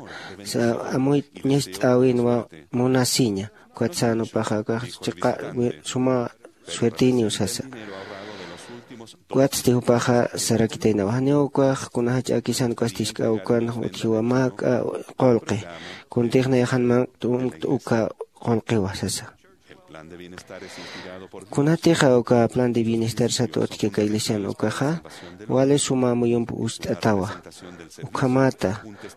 amuy ñast'äwinwa munasiña. Ukat sän jupaxa ukax chiqa suma suertiniw sasa. Ukatsti jupaxa sarakitaynawa janiw ukax kuna jach'äkisan ukasti jisk'a ukan utjiwa mä k'a qullqi kuntix nayaxan mankt'u uka qullqiwa sasa. Kunatixa uka plan de bienestar sat utjki aka iglesian ukaxa wali suma amuyump ucht'atawa. Ukhamata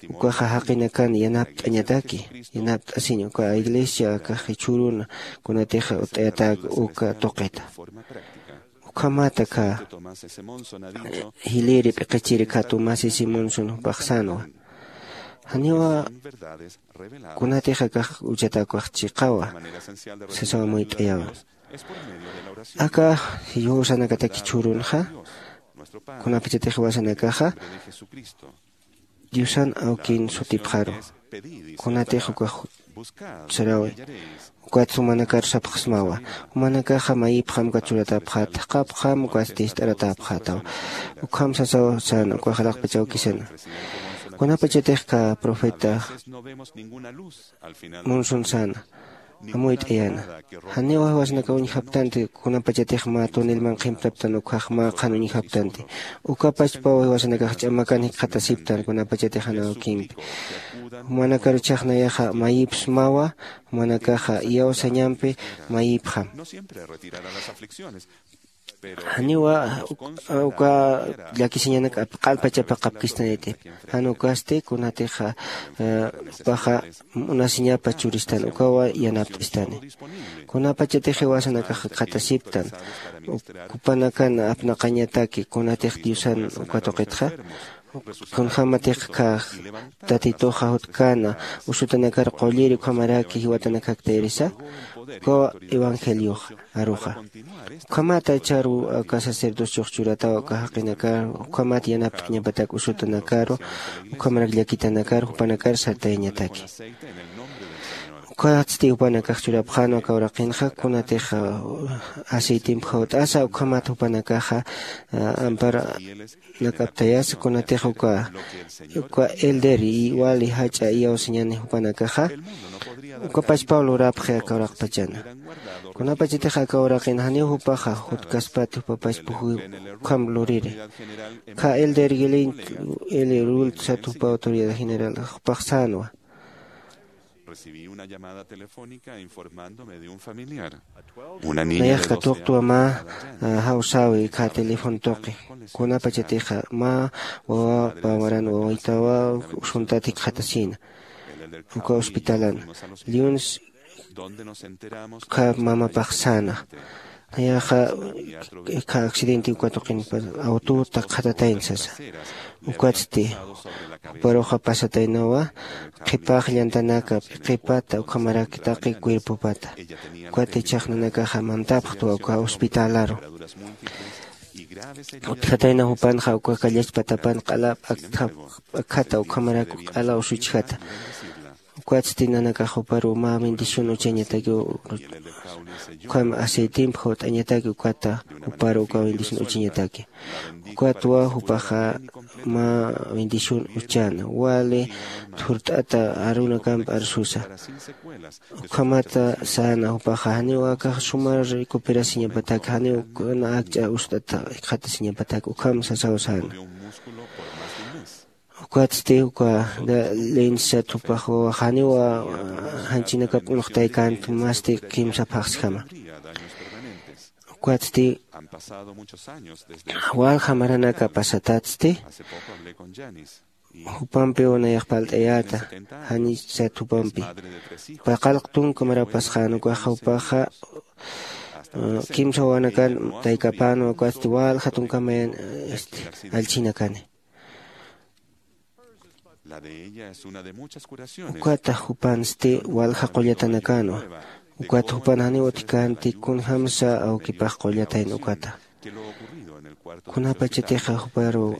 ukaxa jaqinakan yanapt'añataki yanapt'asiñ uka iglesia akax jichhüruna kunatixa utt'ayatäk uka tuqita. Ukhamata kha jiliri p'iqichiri kha tomás y simón sun jupax sänwa janiwa kunatix akax uchatäkuwax chiqawa sasaw amuyt'ayawa. Aka yusanakataki chhurunxa kunapachatix jiwasanakaxa diosan awkin sutipxaru kunatix ukax sarawi. Ukat jumanakar sapxsmawa jumanakaxa mayipxam ukat churatäpxäta jaqapxam ukatsti ist'aratäpxätaw. Ukham sasaw säna ukax alaxpach awkisana kunapachatix kha profeta munsun säna amuyt'ayäna. Janiw jiwasanakaw uñjaptanti kunapachatix mä tunilman qhimptaptan ukhax mä qhan uñjaptanti. Ukapachpaw jiwasanakax ch'amakan jikxatasiptan kunapachatix jan awkimpi jumanakaru chhaxnayaxa mayipsmawa jumanakaxa iyawsañampi mayipxam. Janiwa uka llakisiñanak q'alpachapaqapkistaniti. Jan ukasti kunatix jupaxa munasiñapa churistan ukawa yanapt'istani. Kunapachatix jiwasanakax akxatasiptan jupanakan apnaqañataki kunatix diosan uka tuqitxa, kunjämatix kha tatituxa jutkäna usutanakar qulliri ukhamaraki jiwatanakaktayirisa. Ukawa evangelioxa aruxa ukhamata charu aka sacerdociox churataw aka jaqinakar ukhamat yanapt'añapatak usutanakaru ukhamarak llakitanakar jupanakar sartayañataki. Ukatsti jupanakax churapxänwa aka uraqinxa kunatix aceitimp jawt'asa ukhamat jupanakaxa ampar nak'aptayasa kunatix uka uka elder y wali jach'a iyawsañani jupanakaxa. Ukapachpaw lurapxi aka uraqpachana. Kunapachatix aka uraqin janiw jupaxa jutkaspati jupapachpa ukham luriri. Kha elder gilint eli rult sat jupa autoridad general jupax sänwa. Recibí una llamada telefónica informándome de un familiar. Una niña nayax de doce katuqtwa años mä jawsäwi kha teléfono tuqi. Kunapachatixa mä wawapa waran wawitawa usuntat jikxatasïna uka hospitalan. Liuns kha mamapax säna. Nayaxa kha accidente uka tuqinpa awtota qhatatayna sasa. Ukatsti juparuxa pasataynawa qhipax llantanaka p'iqipata ukhamaraki taqi cuerpopata. Ukat ichhax nanakaxa mantapxtwa uka hospitalaru. Utjatayna jupanxa uka kallachpatapan q'ala p'akthata ukhamarak q'ala usuchjata. Ukatsti nanakax juparu mä bendición uchañataki ukham aceitimp jawt'añataki ukata juparu uka bendición uchañataki. Ukatwa jupaxa mä bendición uchana wali thurt'ata arunakamp arsusa. Ukhamata säna jupaxa janiw akax suma recuperasiñapatak janiw kuna akch'a ust'ata jikxatasiñapatak ukham sasaw säna. Ukatsti uka lensat jupax wawax janiw janchinakap unuqtaykäntu masti kimsa phaxsjama. Ukatsti walja maranaka pasatatsti jupampiw nayax palt'ayäta. Janis sat jupampi paqallq tunka maraw pasxän ukaxa jupaxa kimsa wawanakan taykapänwa ukatsti walja tunkamayan allchhinakani. Ukata jupansti walja qullatanakänwa. Ukat jupan janiw utjkänti kunjämsa awkipax qullatayna ukata. Kunapachatixa juparu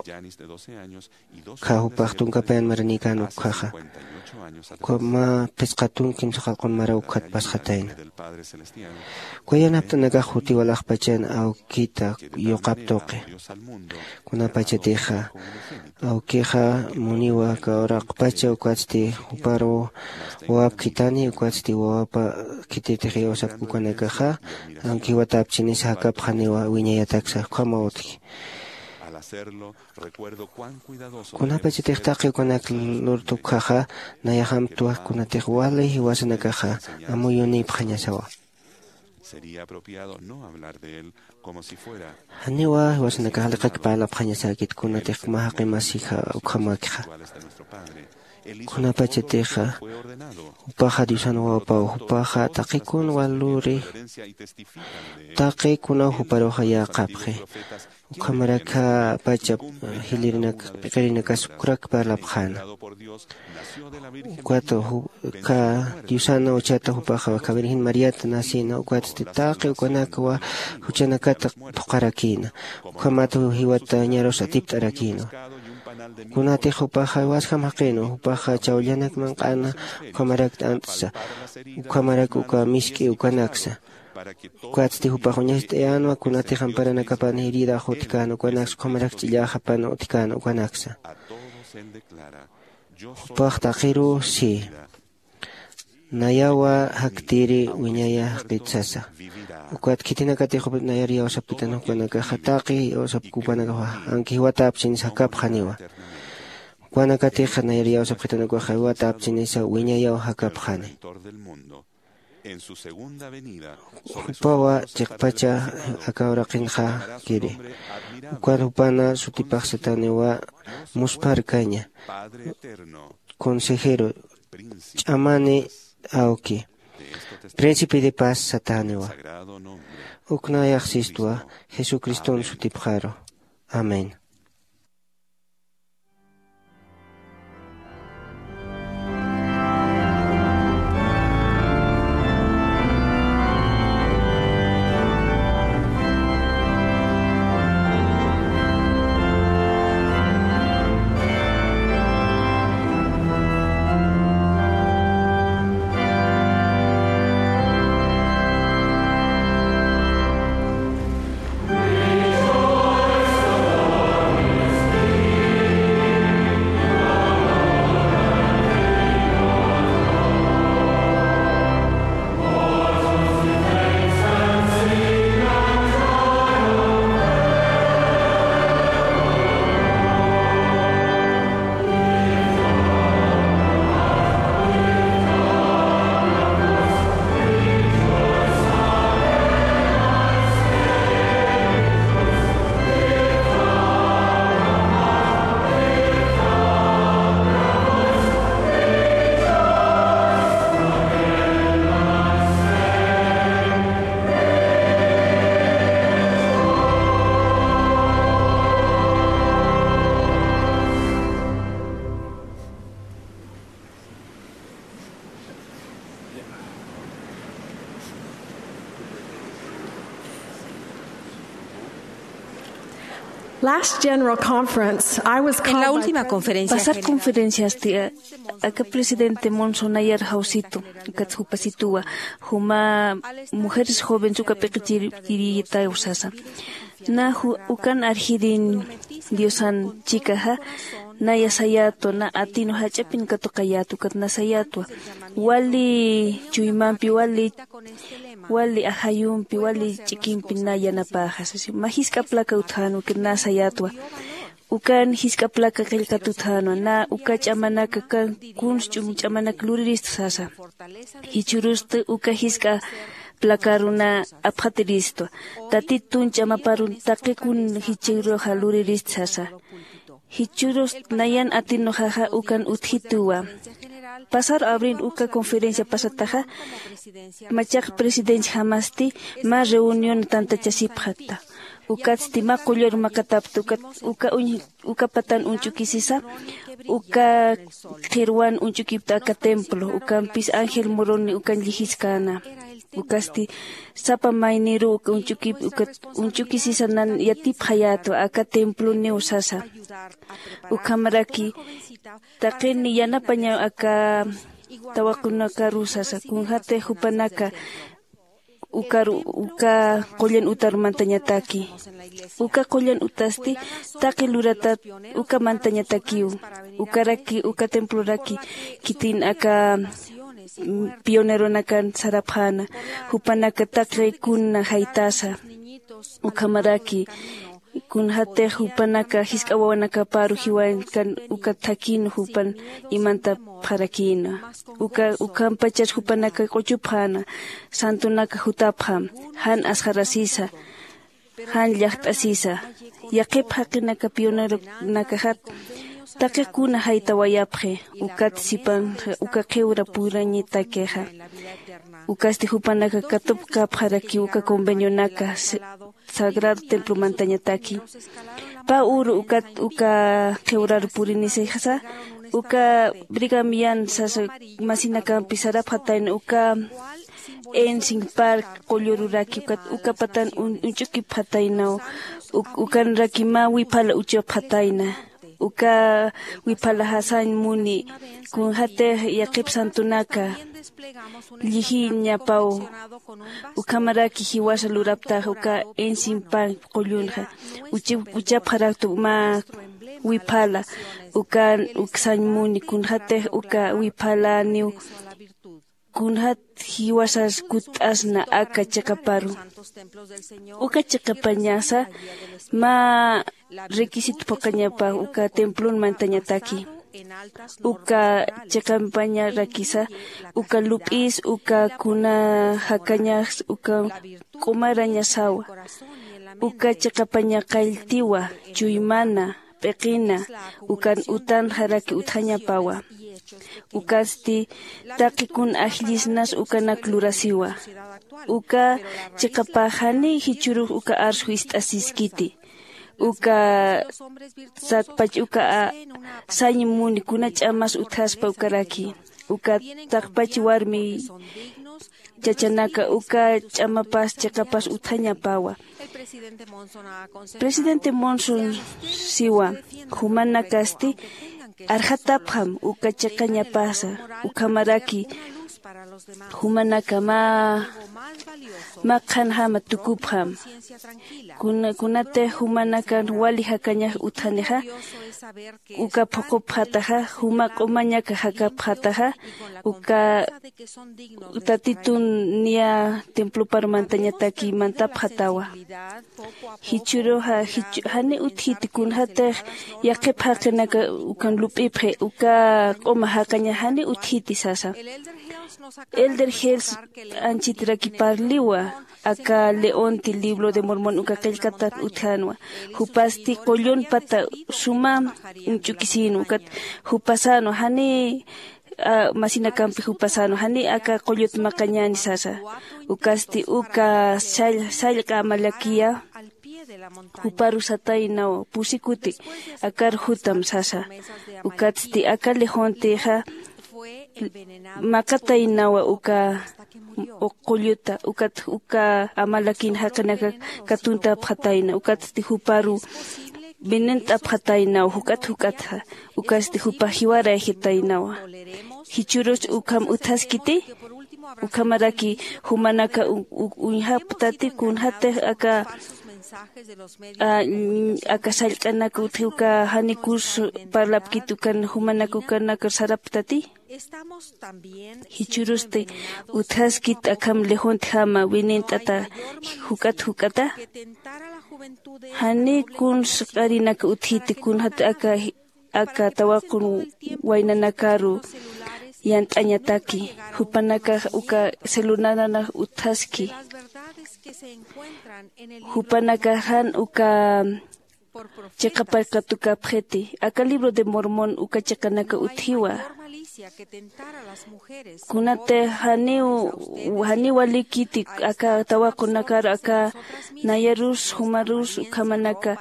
kha jupax tunkapayan maranïkän ukkhaxa uka mä phisqa tunka kimsa qalqun maraw ukkhat pasxatayna. Uka yanapt'anakax juti walaxpachan awkita yuqap tuqi. Kunapachatixa awkixa muniwa aka uraqpacha ukatsti juparu wawap khithani ukatsti wawapa khitirtix iyawsapki ukanakaxa aunque jiwatapchinis jakapxaniwa wiñayataksa ukhama utji. Kunapachatix taqi ukanak lurtukjaxa nayaxamtwa kunatix wali jiwasanakaxa amuyunïpxañasawa. Janiwa jiwasanakax liqak parlapxañasäkit kunatix mä jaqi masija ukhamäkixa. Kunapachatixa jupaxa diosan wawapaw jupaxa taqi kun wal luri taqi kunaw juparuxa yäqapxi. Ukhamarak jä pachap jilirinak p'iqirinakas ukrak parlapxäna. Ukat kha diosan uchata jupaxa kha virgen mariata nacïna ukatsti taqi ukanakwa juchanakata phuqharakïna. Ukhamat jiwata ñarus atipt'arakïnwa. Kunatix jupaxa jiwasjam jaqïnwa jupaxa chawllanak manq'ana ukhamarak t'ant'sa ukhamarak uka misk'i ukanaksa. Ukatsti jupax uñast'ayänwa kunatix amparanakapan hiridax utjkän ukanaksa ukhamarak ch'illäxapan utjkän ukanaksa. Jupax taqiruw si nayawa jaktiri wiñaya jaqit sasa. Ukat khitinakatix jupa nayar iyawsapkitan jupanakaxa taqi iyawsapki jupanakaxa aunque jiwatapchinis jakapxaniwa. Jupanakatixa nayar iyawsapkitan ukaxa jiwatapchinisa wiñayaw jakapxani. Jupawa chiqpacha aka uraqinxakiri. Ukat jupana sutipax satäniwa muspharkaña, consejero, ch'amani awki, príncipe de paz satäniwa. Uknayax sistwa Jesucriston sutipxaru. Amén. Last general conference, I was En la called by última President conferencia Pasar general conferenciasti, eh, aka presidente Monson nayar jawsitu, ukat jupasituwa, juma mujeres jóvenes uka p'iqichiriyitaw sasa. Na ju-, ukan arjirin Diosan chikaxa, naya sayätwa, na atinu jach'apin katuqayätwa, ukat na sayätwa. Wali chuymampi, wali, wali ajayumpi, wali ch'ikimpi na yanapäxa, sasa. Mä jisk'a placa utjänwa, ukat na sayätwa. Ukan jisk'a placa qillqat utjänwa, na uka ch'amanaka, ukan kuns ch'um ch'amanaka lurirista sasa. Jichhürusti uka jisk'a placaruna apxatiristwa. Tatitun ch'amaparun taqi kun jichhüruxa lurirista sasa. Jichhürust nayan atinuxaxa ukan utjituwa. Pasar abril uka conferencia pasataxa, machaq presidencia jamasti mä reunión tantachasipxatta. Ukatsti mä qullar maqatapta, ukat, uka uñ-, uka patan uñch'ukisisa, uka qhirwan uñch'ukipta aka templo, ukampis Ángel Moroni ukan llijiskäna. Ukasti sapa mayniru uka uñch'ukip-, uka uñch'ukisisa nan yatipxayätwa aka temploniw sasa. Ukhamaraki taqini yanapañaw aka tawaqunakaru sasa, kunjatix jupanaka ukaru, uka qullan utar mantañataki. Uka qullan utasti taqi luratat uka mantañatakiw. Ukaraki, uka temploraki khitin aka, mm, pioneronakan sarapxäna, jupanaka taqi kuna jaytasa. Ukhamaraki, kunjatix jupanaka jisk'a wawanakaparu jiwañkan uka thakhin jupan imantapxarakïna. Uka, ukhampachar jupanaka q'uchupxäna, santonaka jutapxam, jan asxarasisa, jan llaqt'asisa. Yaqhip jaqinaka pioneronakaxat, taqi kuna jaytawayapxi, ukat sipan uka qhiwra purañatakixa. Ukasti jupanaka katupkapxaraki uka convenionaka, se-, sagrado templo mantañataki. Pä uru ukat uka qhiwrar purinisixsa, uka Brigham Young sasa masinakampi sarapxatayna uka Ensign Park qullururaki, ukat uka patan un-, uñch'ukipxataynaw, uk-, ukanraki mä wiphala uchapxatayna. Uka wiphalaxa sañ muni, kunjatix yaqhip santonaka llijiñapaw. Ukhamaraki jiwasa luraptax uka Ensign Park qullunxa. Uchi-, uchapxaraktu mä wiphala, ukan, uk sañ muni, kunjatix uka wiphalaniw, kunjat jiwasas kutt'asna aka chiqaparu. Uka chiqapañasa mä requisito phuqhañapa uka templon mantañataki. Uka chiqampañarakisa, uka lup'is, uka kuna jakañas, uka q'umarañasawa. Uka chiqapaña qalltiwa, chuymana, p'iqina, ukan utanxaraki utjañapawa. Ukatsti taqi kun ajllisnas ukanak lurasiwa. Uka chiqapax janiy jichhürux uka arsju ist'asiskiti. Uka satpach uka a-, sañ muni kuna ch'amas utjaspa ukaraki. Uka taqpach warmi chachanaka uka ch'amapas chiqapas utjañapawa. Presidente Monson siwa, jumanakasti arxatapxam uka chiqañapasa, ukhamaraki jumanaka mä, mä qhanjama tukupxam. Kuna, kunatix jumanakan wali jakañax utjanixa, uka phuqupxataxa, juma q'umañaka jakapxataxa, uka Tatitun niya templopar mantañataki mantapxatawa. Jichhüruxa, jichhü-, jani utjiti kunjatix yaqhip jaqinaka ukan lup'ipxi, uka q'uma jaqaña jani utjiti sasa. Elder Hales anchitiraki parliwa, aka Leonti libro de Mormon uka qillqatan utjänwa. Jupasti qullun pata suma uñch'ukisïnwa, ukat jupasänwa, jani a, masinakampi jupasänwa, jani aka qullut maqañäni sasa. Ukasti uka sall-, sallqa amalakiya, juparu sataynawa, pusi kuti akar jutam sasa. Ukatsti aka Leontixa maqataynawa uka qulluta, ukat uka amalakin jaqinaka katuntapxatayna, ukatsti juparu venent'apxataynaw juk'at juk'atxa, ukasti jupax jiwarayxitaynawa. Jichhürus ukham utjaskiti, ukhamaraki jumanaka u-, u-, uñjaptati kunjatix aka, a, aka sallq'anaka utji uka janikus parlapkit ukan jumanaka ukanakar saraptati. Jichhürusti utjaskit akham Leontjama venent'ata juk'at juk'ata. Jani kuns q'arinak utjiti kunjat aka, aka tawaqun waynanakaru yant'añataki. Jupanakax uka celularanax utjaski. Jupanakax jan uka chiqapar katukapxiti. Aka libro de Mormon uka chiqanaka utjiwa. Kunatix janiw, janiw walikiti aka tawaqunakaru, aka nayarus, jumarus, ukhamanaka,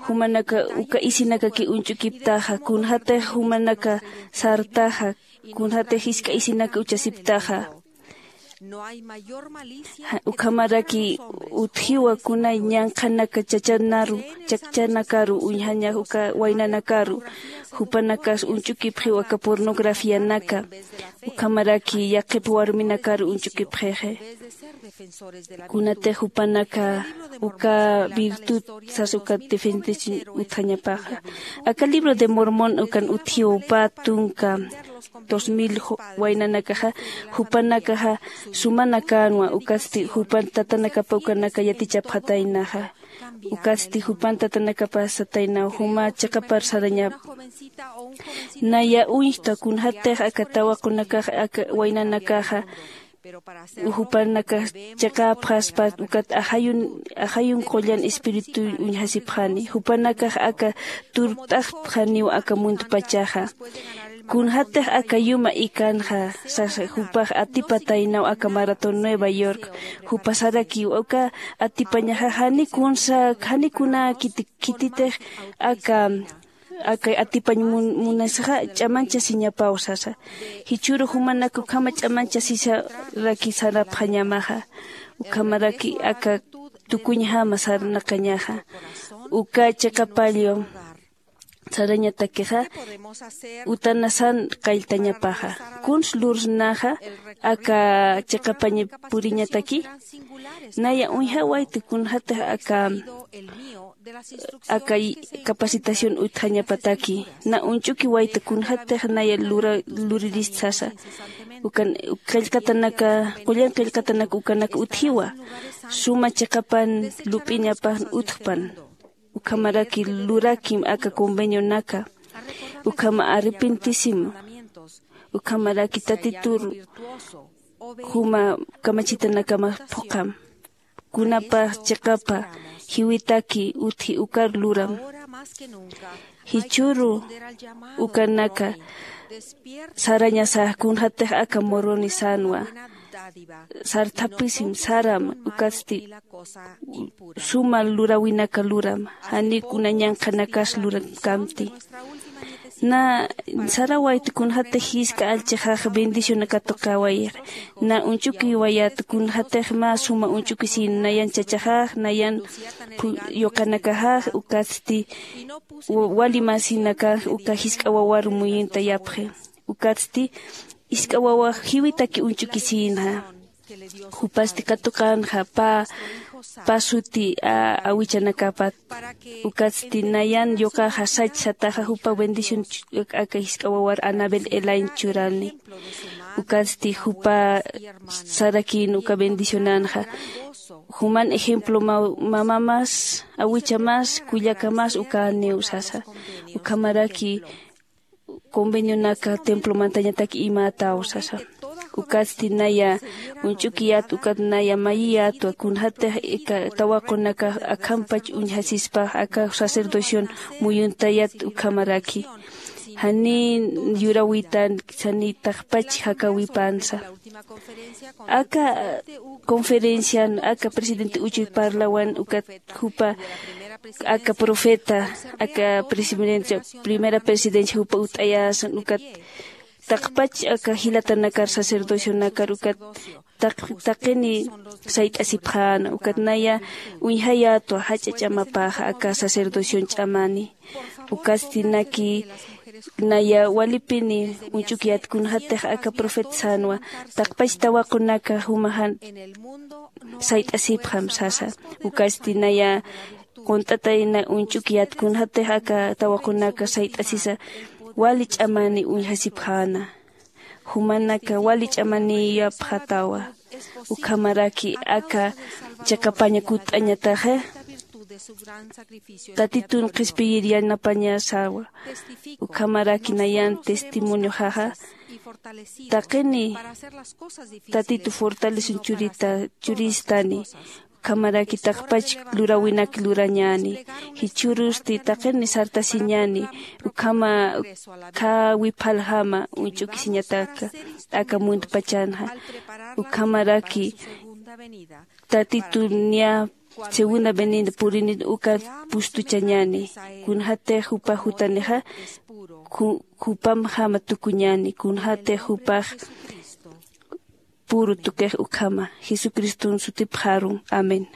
jumanaka uka isinakaki uñch'ukiptaxa, kunjatix jumanaka sartaxa, kunjatix jisk'a isinaka uchasiptaxa. Ja, ukhamaraki utjiwa kuna ñanqhanaka chachanaru, chachanakarü uñjañax uka waynanakaru, jupanakas uñch'ukipxiw aka pornografianaka, ukhamaraki yaqhip warminakaru uñch'ukipxixi. Kunatix jupanaka uka virtud sas uka defendesin utjañapaxa. Aka libro de Mormon ukan utjiw pä tunka dos mil waynanakaxa, jupanakaxa sumanakänwa, ukatsti jupan tatanakapa ukanaka yatichapxataynaxa. Ukatsti jupan tatanakapa sataynaw, juma chiqapar sarañap. Naya uñjta kunjatix aka tawaqunakax aka waynanakaxa, jupanakax chiqapxaspa ukat ajayun, ajayun qullan espiritu uñjasipxani. Jupanakax aka turt'axpxaniw aka muntpachaxa. Kunjatix aka yuma ikanxa, sasa, jupax atipataynaw aka maratón Nueva York. Jupa sarakiw, uka atipañaxa jani kunsa, jani kuna khiti-, khititix aka aka atipañ mun-, munasixa ch'amanchasiñapaw sasa. Jichhüru jumanak ukhama ch'amanchasisaraki sarapxañamaxa. Ukhamaraki aka tukuñjama sarnaqañaxa. Uka chiqapallu sarañatakixa utanasan qalltañapaxa. Kuns lursnaxa aka chiqapañ puriñataki. Naya uñjawayta kunjatix aka aka capacitación utjañapataki. Na uñch'ukiwayta kunjatix naya lura-, luririst sasa. Ukan qillqatanaka, qullan qillqatanaka ukanak utjiwa. Suma chiqapan lup'iñapan utjpan. Ukhamaraki lurakim aka convenionaka. ukhama arrepentisim, ukhamaraki Tatitur juma kamachitanakamas phuqham. Kunapa chiqapa jiwitaki utji ukar luram. Jichhüru ukanaka sarañasa kunjatix aka Moroni sänwa. Sarthapisim, saram, ukatsti suma luräwinaka luram, janiw kuna ñanqhanakas luramkamti. Na sarawayt kunjatix jisk'a allchixax bendición katuqawayix. Na uñch'ukiwayät kunjatix mä suma uñch'ukisïn nayan chachaxax, nayan phu-, yuqanakaxax, ukatsti wa-, wali masinakax uka jisk'a wawar muyuntayapxi. Ukatsti jisk'a wawax jiwitaki uñch'ukisïnxa. Jupasti katuqänxa pä, pä suti, a, awichanakapat. Ukatsti nayan yuqaxa sach sataxa jupa bendición ch-, aka jisk'a wawar Anabel Elaine churani. Ukatsti jupa sarakïn uka bendicionanxa. Juman ejemplo ma-, mamamas, awichamas, kullakamas ukaniw sasa. Ukhamaraki convenionaka templo mantañatak imätaw sasa. Ukatsti naya uñch'ukiyät, ukat naya mayiyätwa, kunjatix ika tawaqunaka akhampach uñjasispa, aka sacerdocion muyuntayät ukhamaraki. Janiy yuräwitan, janiy taqpach jakäwipansa. Aka conferencian, aka presidente Uchuy parlawan, ukat jupa aka profeta, aka presidencia, primera presidencia jupa utt'ayäsan, ukat taqpach aka jilatanakar, sacerdocionakar, ukat taq-, taqini sayt'asipxäna, ukat naya uñjayätwa jach'a ch'amapaxa aka sacerdocion ch'amani. Ukatsti naki naya walipini uñch'ukiyät kunjatix aka profeta sänwa, taqpach tawaqunaka jumaxa sayt'asipxam sasa. Ukatsti naya qunt'atayna uñch'ukiyät kunjatix aka tawaqunaka sayt'asisa, wali ch'amani uñjasipxäna. Jumanaka wali ch'amaniyapxatawa. Ukhamaraki aka chiqapaña kutt'añataxa Tatitun qhispiyir yanapañasawa. Ukhamaraki nayan testimonioxaxa taqini Tatitu fortalesun churita, churistani. Ukhamaraki taqpach luräwinak lurañäni. Jichhürusti taqini sartasiñäni. Ukhama khäwi phaljama uñch'ukisiñataka aka muntpachanxa. Ukhamaraki Tatitun niya segunda venida purini ukat pustuchañäni. Kunjatix jupax jutanixa ju-, jupamjama tukuñäni. Kunjatix jupax puru tukix ukhama. Jesucriston sutipxarun. Amén.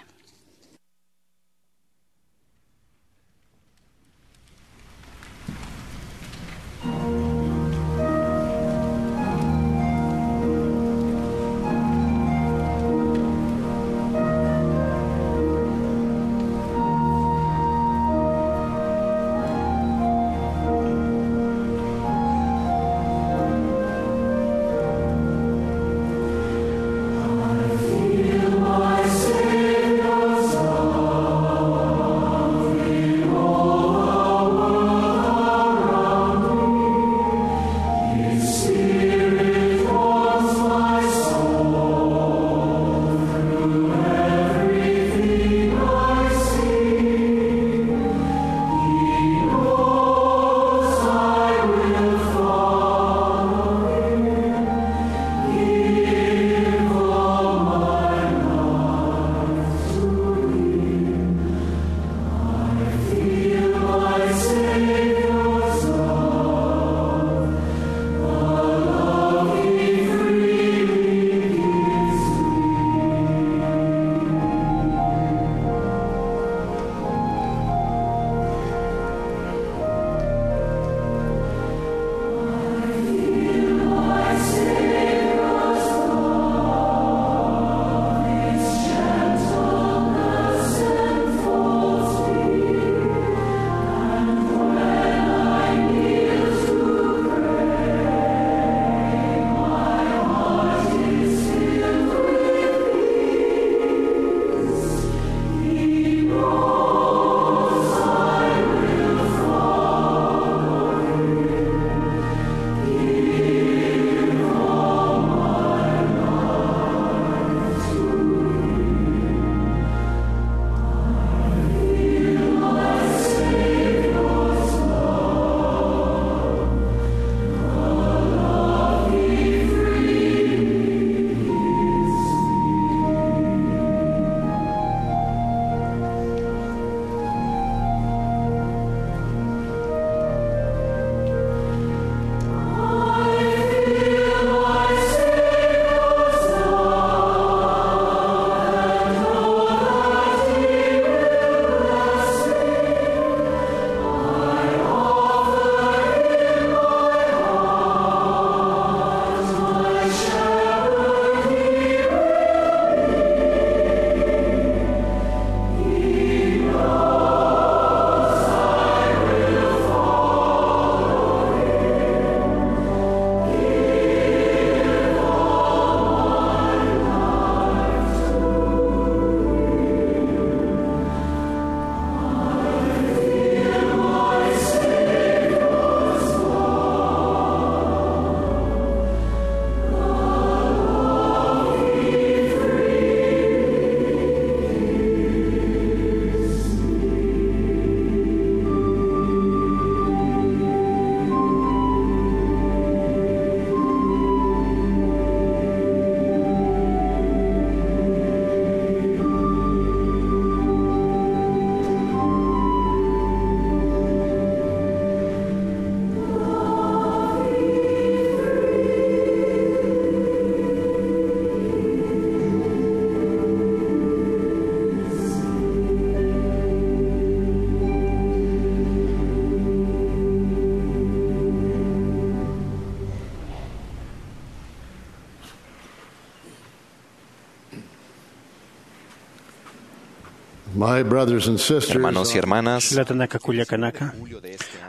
My brothers and sisters, hermanos y hermanas, jilatanaka kullakanaka,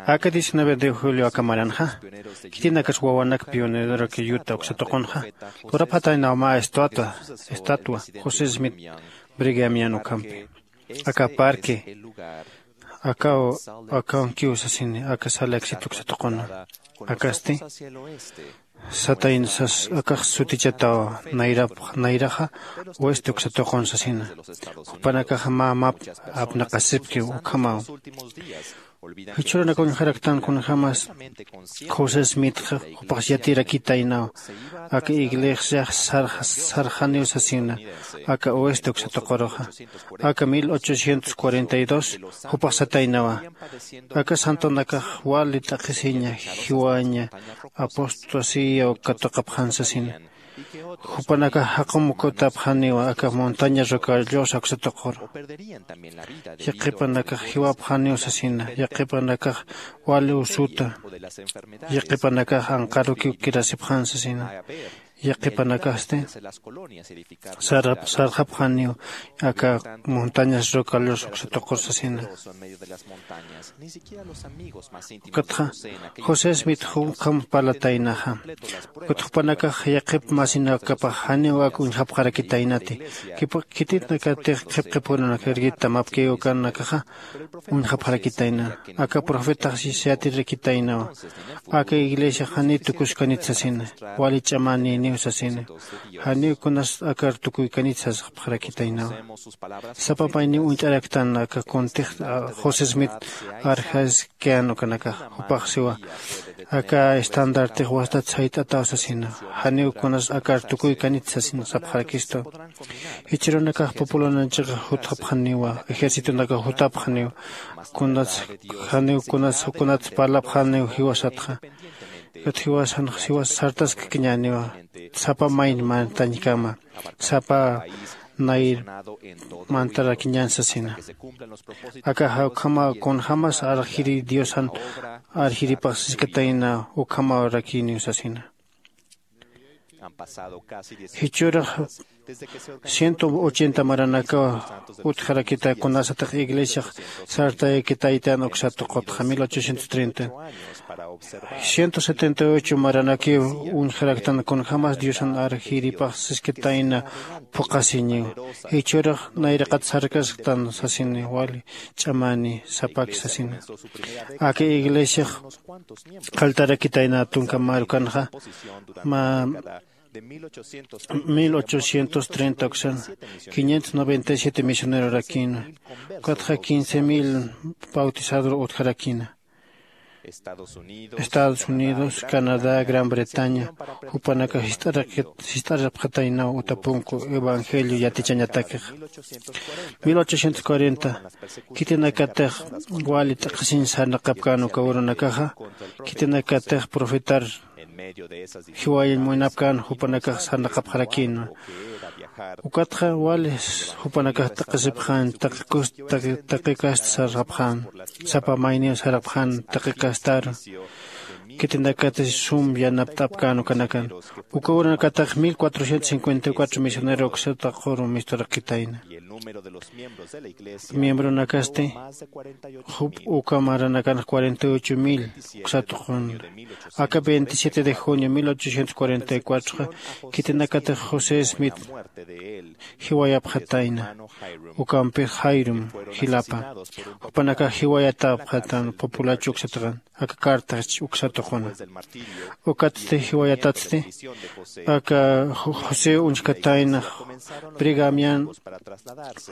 aka diecinueve de julio aka maranxa, khitinakasa wawanak pionerorak yuta uksa tuqunxa, lurapxataynaw mä estatua, estatua José Smith Brighamian ukhampi. Aka parque, akaw, akaw kiw sasini, aka sala exit uksa tuquna. Akasti, satayna sas, akax sutichataw nayrap, nayraxa oeste uksa tuqun sasina. Jupanakaxa mä map apnaqasipkiw ukhamaw. Jichhürunak uñjaraktan kunjämas José Smith jupax yatirakitaynaw, aka iglesia sarx, sarxaniw sasina, aka oeste uksa tuquruxa. Aka mil ochocientos cuarenta y dos jupax sataynawa, aka santonakax wali t'aqhisiña, jiwaña, apostasía katuqapxan sasina. Jupanakax jaqum kutapxaniwa aka montaña Rocallosa uksa tuquru. Yaqhipanakax jiwapxaniw sasina, yaqhipanakax wali usuta, yaqhipanakax anqarukiw kirasipxan sasina, yaqhipanakasti sarap, sarxapxaniw aka montañas Rocallosa uksa tuqur sasina. Ukatxa José Smith ukham parlataynaxa. Ukat jupanakax yaqhip masinakapax janiw ak uñjapxarakitaynati. Khitinakatix qhip qhip urunak irgita mapkiw ukanakaxa uñjapxarakitayna. Aka profetax yatirakitaynawa, aka iglesiax janiw tukuskanit sasina, wali ch'amänïniw sasina. Janiw kunas akar tukuykanit sasxapxarakitaynawa. Sapa mayniw uñt'araktan aka kuntix José Smith arjaskian ukanakax. Jupax siwa, aka estandartix wastat sayt'ataw sasina, janiw kunas akar tukuykanit sasina sapxarakistu. Jichhürunakax populananchix jutxapxaniwa, ejércitonakax jutapxaniwa, kunats, janiw kunats kunats parlapxaniw jiwasatxa. Ukat jiwasan jiwas sartaskkiñäniwa, sapa mayn mantañkama, sapa nayr mantarakiñän sasina. Akaxa ukhamaw kunjämas arxiri diosan arxiripax siskatayna, ukhamaw rakiniw sasina. Jichhürax ciento ochenta maranakaw utjarakita kunasatix iglesiax sartayakitaytan uksa tuqutxa mil ochocientos treinta. Ciento setenta y ocho maranakiw uñjaraktan kunjämas diosan arjiripax siskatayna phuqhasiñiw. Jichhürax nayraqat sarkasktan sasini, wali ch'amäni sapaki sasina. Aka iglesiax qalltarakitayna tunka marukanxa mä mil ochocientos treinta uksan quinientos noventa y siete misionerorakïna. Ukatxa quince mil bautizadur utjarakïna. Estados Unidos, Canadá, Gran Bretaña jupanakax jist'arapxataynaw uta punku evangelio yatichañatakix. Mil ochocientos cuarenta khitinakatix wali t'aqhisiñ sarnaqapkän uka urunakaxa, khitinakatix profetar jiwayañ munapkän jupanakax sarnaqapxarakïna. Ukatxa wali jupanakax t'aqhisipxän, taqi kust taqi kast sarxapxän, sapa mayniw sarxapxän taqi kastaru. Khitinakatix sum yanapt'apkän ukanakan. Uka urunakatix mil cuatrocientos cincuenta y cuatro misionero uksa tuquru misturakitayna. Miembronakasti jup uka maranakanx cuarenta y ocho mil uksa tuqun. Aka veintisiete de junio mil ochocientos cuarenta y cuatro qa khitinakatix José Smith jiwayapxatayna, ukampix Jairum jilapa. Jupanakax jiwayatapxatan populacho uksa tuqun. Aka carta uksa tuquna. Ukatsti jiwayatatsti aka José uñjkatayna Brighamian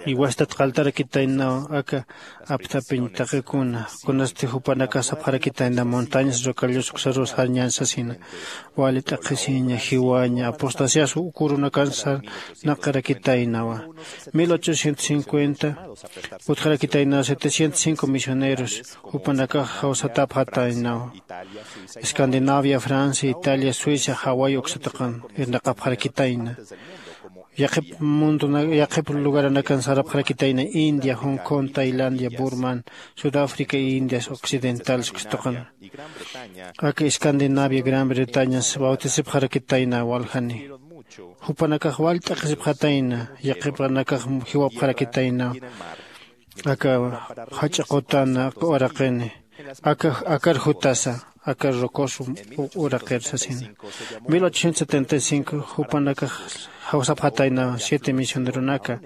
iwastat qalltarakitaynaw aka apthapiñ taqikuna, kunasti jupanakax sapxarakitayna montañas Rocallos uksarus sarñän sasina. Wali t'aqhisiña, jiwaña, apostasias uk urunakan sarnaqarakitaynawa. Mil ochocientos cincuenta utjarakitaynaw setecientos cinco misioneros, jupanakax jawsatapxataynaw. Escandinavia, Francia, Italia, Suecia, Hawái uksa tuqun irnaqapxarakitayna. Yaqhip mundona, yaqhip lugaranakan sarapxarakitayna, India, Hong Kong, Tailandia, Burman, Sudáfrica, Indias Occidentales uksa tuqun. Aka Escandinavia, Gran Bretañas bautisipxarakitayna waljani. Jupanakax wal t'aqhisipxatayna, yaqhipanakax jiwapxarakitayna. aka jach'a qutana uraqini, aka akar jutasa, aka rocoso uraqir sasina. Mil ochocientos setenta y cinco jupanakax jawsapxatayna siete misioneronaka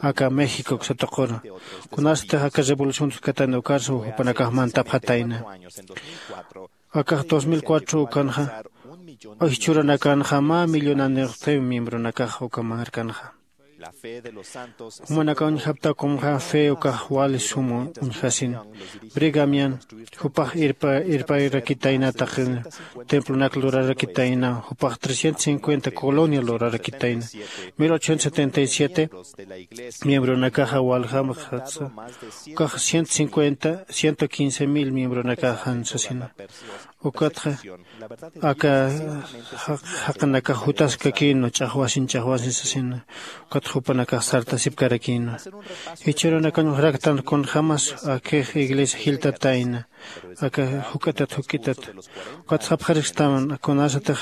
aka México satuquru. Kunasatix aka revolución tuskatayna ukarsa jupanakax mantapxatayna. Akax dos mil cuatro ukanxa, jichhüranakanxa mä millonanix miembronakax uka markanxa. Jumanakax uñjapta kunxa fe ukax wali suma uñjasin. Brigamian jupax irpa irparakitayna taqi templonak lurarakitayna jupax trescientos cincuenta colonia lurarakitayna. Mil ochocientos setenta y siete miembronakaxa waljamxatsa ukax ciento cincuenta ciento quince mil miembronakaxan sasina. Ukatxa aka jaqinakax jutaskakïnwa ch'axwasin ch'axwasin sasina. Ukatxa jupanakax sartasipkarakïnwa. Jichhürunakañ juraktan kunjämas akix iglesia jiltatayna aka juk'itat juk'itat. Ukatxa apxaristam kunasatix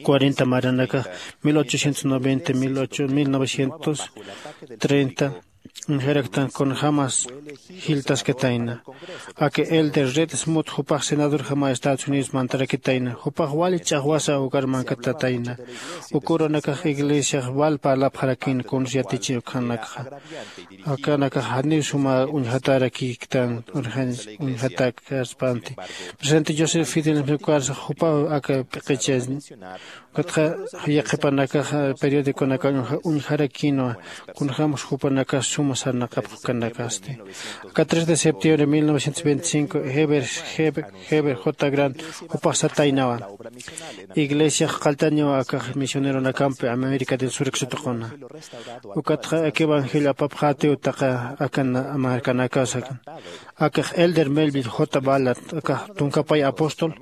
cuarenta maranakax mil ochocientos noventa mil novecientos treinta uñjaraktan kunjämas jiltaskatayna. Aka elder red smut jupax senadorjama estados unidos mantarakitayna jupax wali ch'axwasa ukar mankatatayna. Ukürunakax iglesiax wal parlapxarakïn kuns yatichi ukhanakxa. Akanakax janiw suma uñjatarakïktan urxañ uñjatak aspanti. Presidente joseph fidel ukarsa jupaw aka p'iqicha. Ukatxa yaqhipanakaxa periodiconakax uñjarakïnwa kunjämas jupanakax suma sarnaqapxkanakasti. Aka tres de septiembre mil novecientos veinticinco heber heber j grant jupax sataynawa. Iglesiax qalltaniwa akax misioneronakampi américa del sur satuquna. Ukatxa aka evangelio apapxätiw taqa aka markanakasakan. Akax elder melville j ballard akax tunkapay apóstol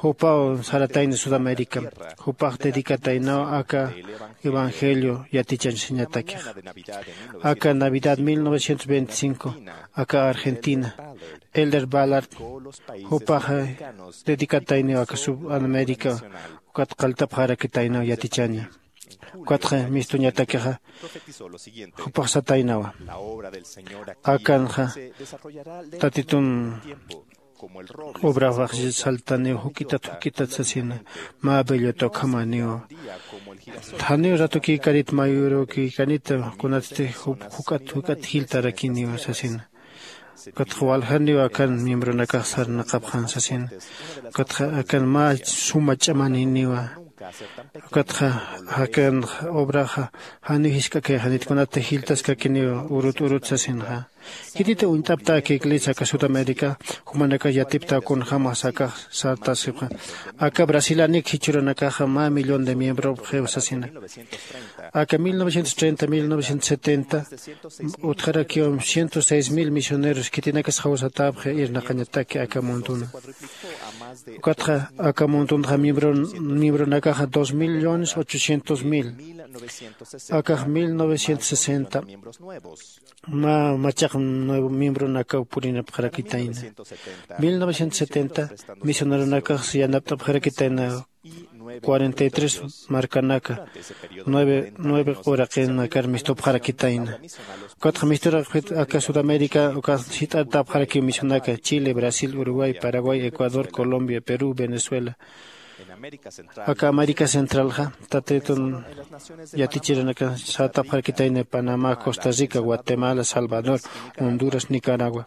jupaw saratayna sudamérica. Jupax dedicataynawa aka evangelio yatichañsañatakixa. Aka navidad mil novecientos veinticinco aka argentina elder ballard jupaxa dedicatayniw aka sub américa. Ukat qalltapxarakitaynaw yatichaña. Ukatxa mistuñatakixa jupax sataynawa. Akanxa tatitun obrafax saltaniw juk'itat juk'itat sasina. Mä bellota ukhamaniw. Janiw ratukïkarit mayurukïkanita kunatsti juk'at juk'at jiltarakiniw sasina. Ukatxa waljaniw akan miembronakax sarnaqapxan sasina. Ukatxa akan mä suma ch'amaniniwa. Ukatxa akan obraxa janiw jisk'akayxanit kunatsti jiltaskakiniw urut urut sasinxa. Khititi uñt'apta aka iglesia aka sudamérica jumanakax yatipta kunjämas akax sartasipxa. Aka brasilanik jichhürunakaxa mä millón de miembropxiw sasina. Aka mil novecientos treinta mil novecientos setenta utjarakiw ciento seis mil misioneros khitinakas jawsatäpxi irnaqañataki aka munduna. Ukatxa aka mundunxa miembronakaxa dos millones ochocientos mil. Akax mil novecientos sesenta mä machaq nuevo miembronakaw purinapxarakitayna. Mil novecientos setenta misioneronakax yanapt'apxarakitayna. Cuarenta y tres markanaka nueve nueve uraqinakar mistupxarakitayna. Ukatxa misturaqpit aka sudamérica ukat jit'artapxarakiw misionaka chile brasil uruguay paraguay ecuador colombia perú venezuela. Aka américa centralxa tatitun yatichirinaka sartapxarakitayna panamá costa rica guatemala salvador honduras nicaragua.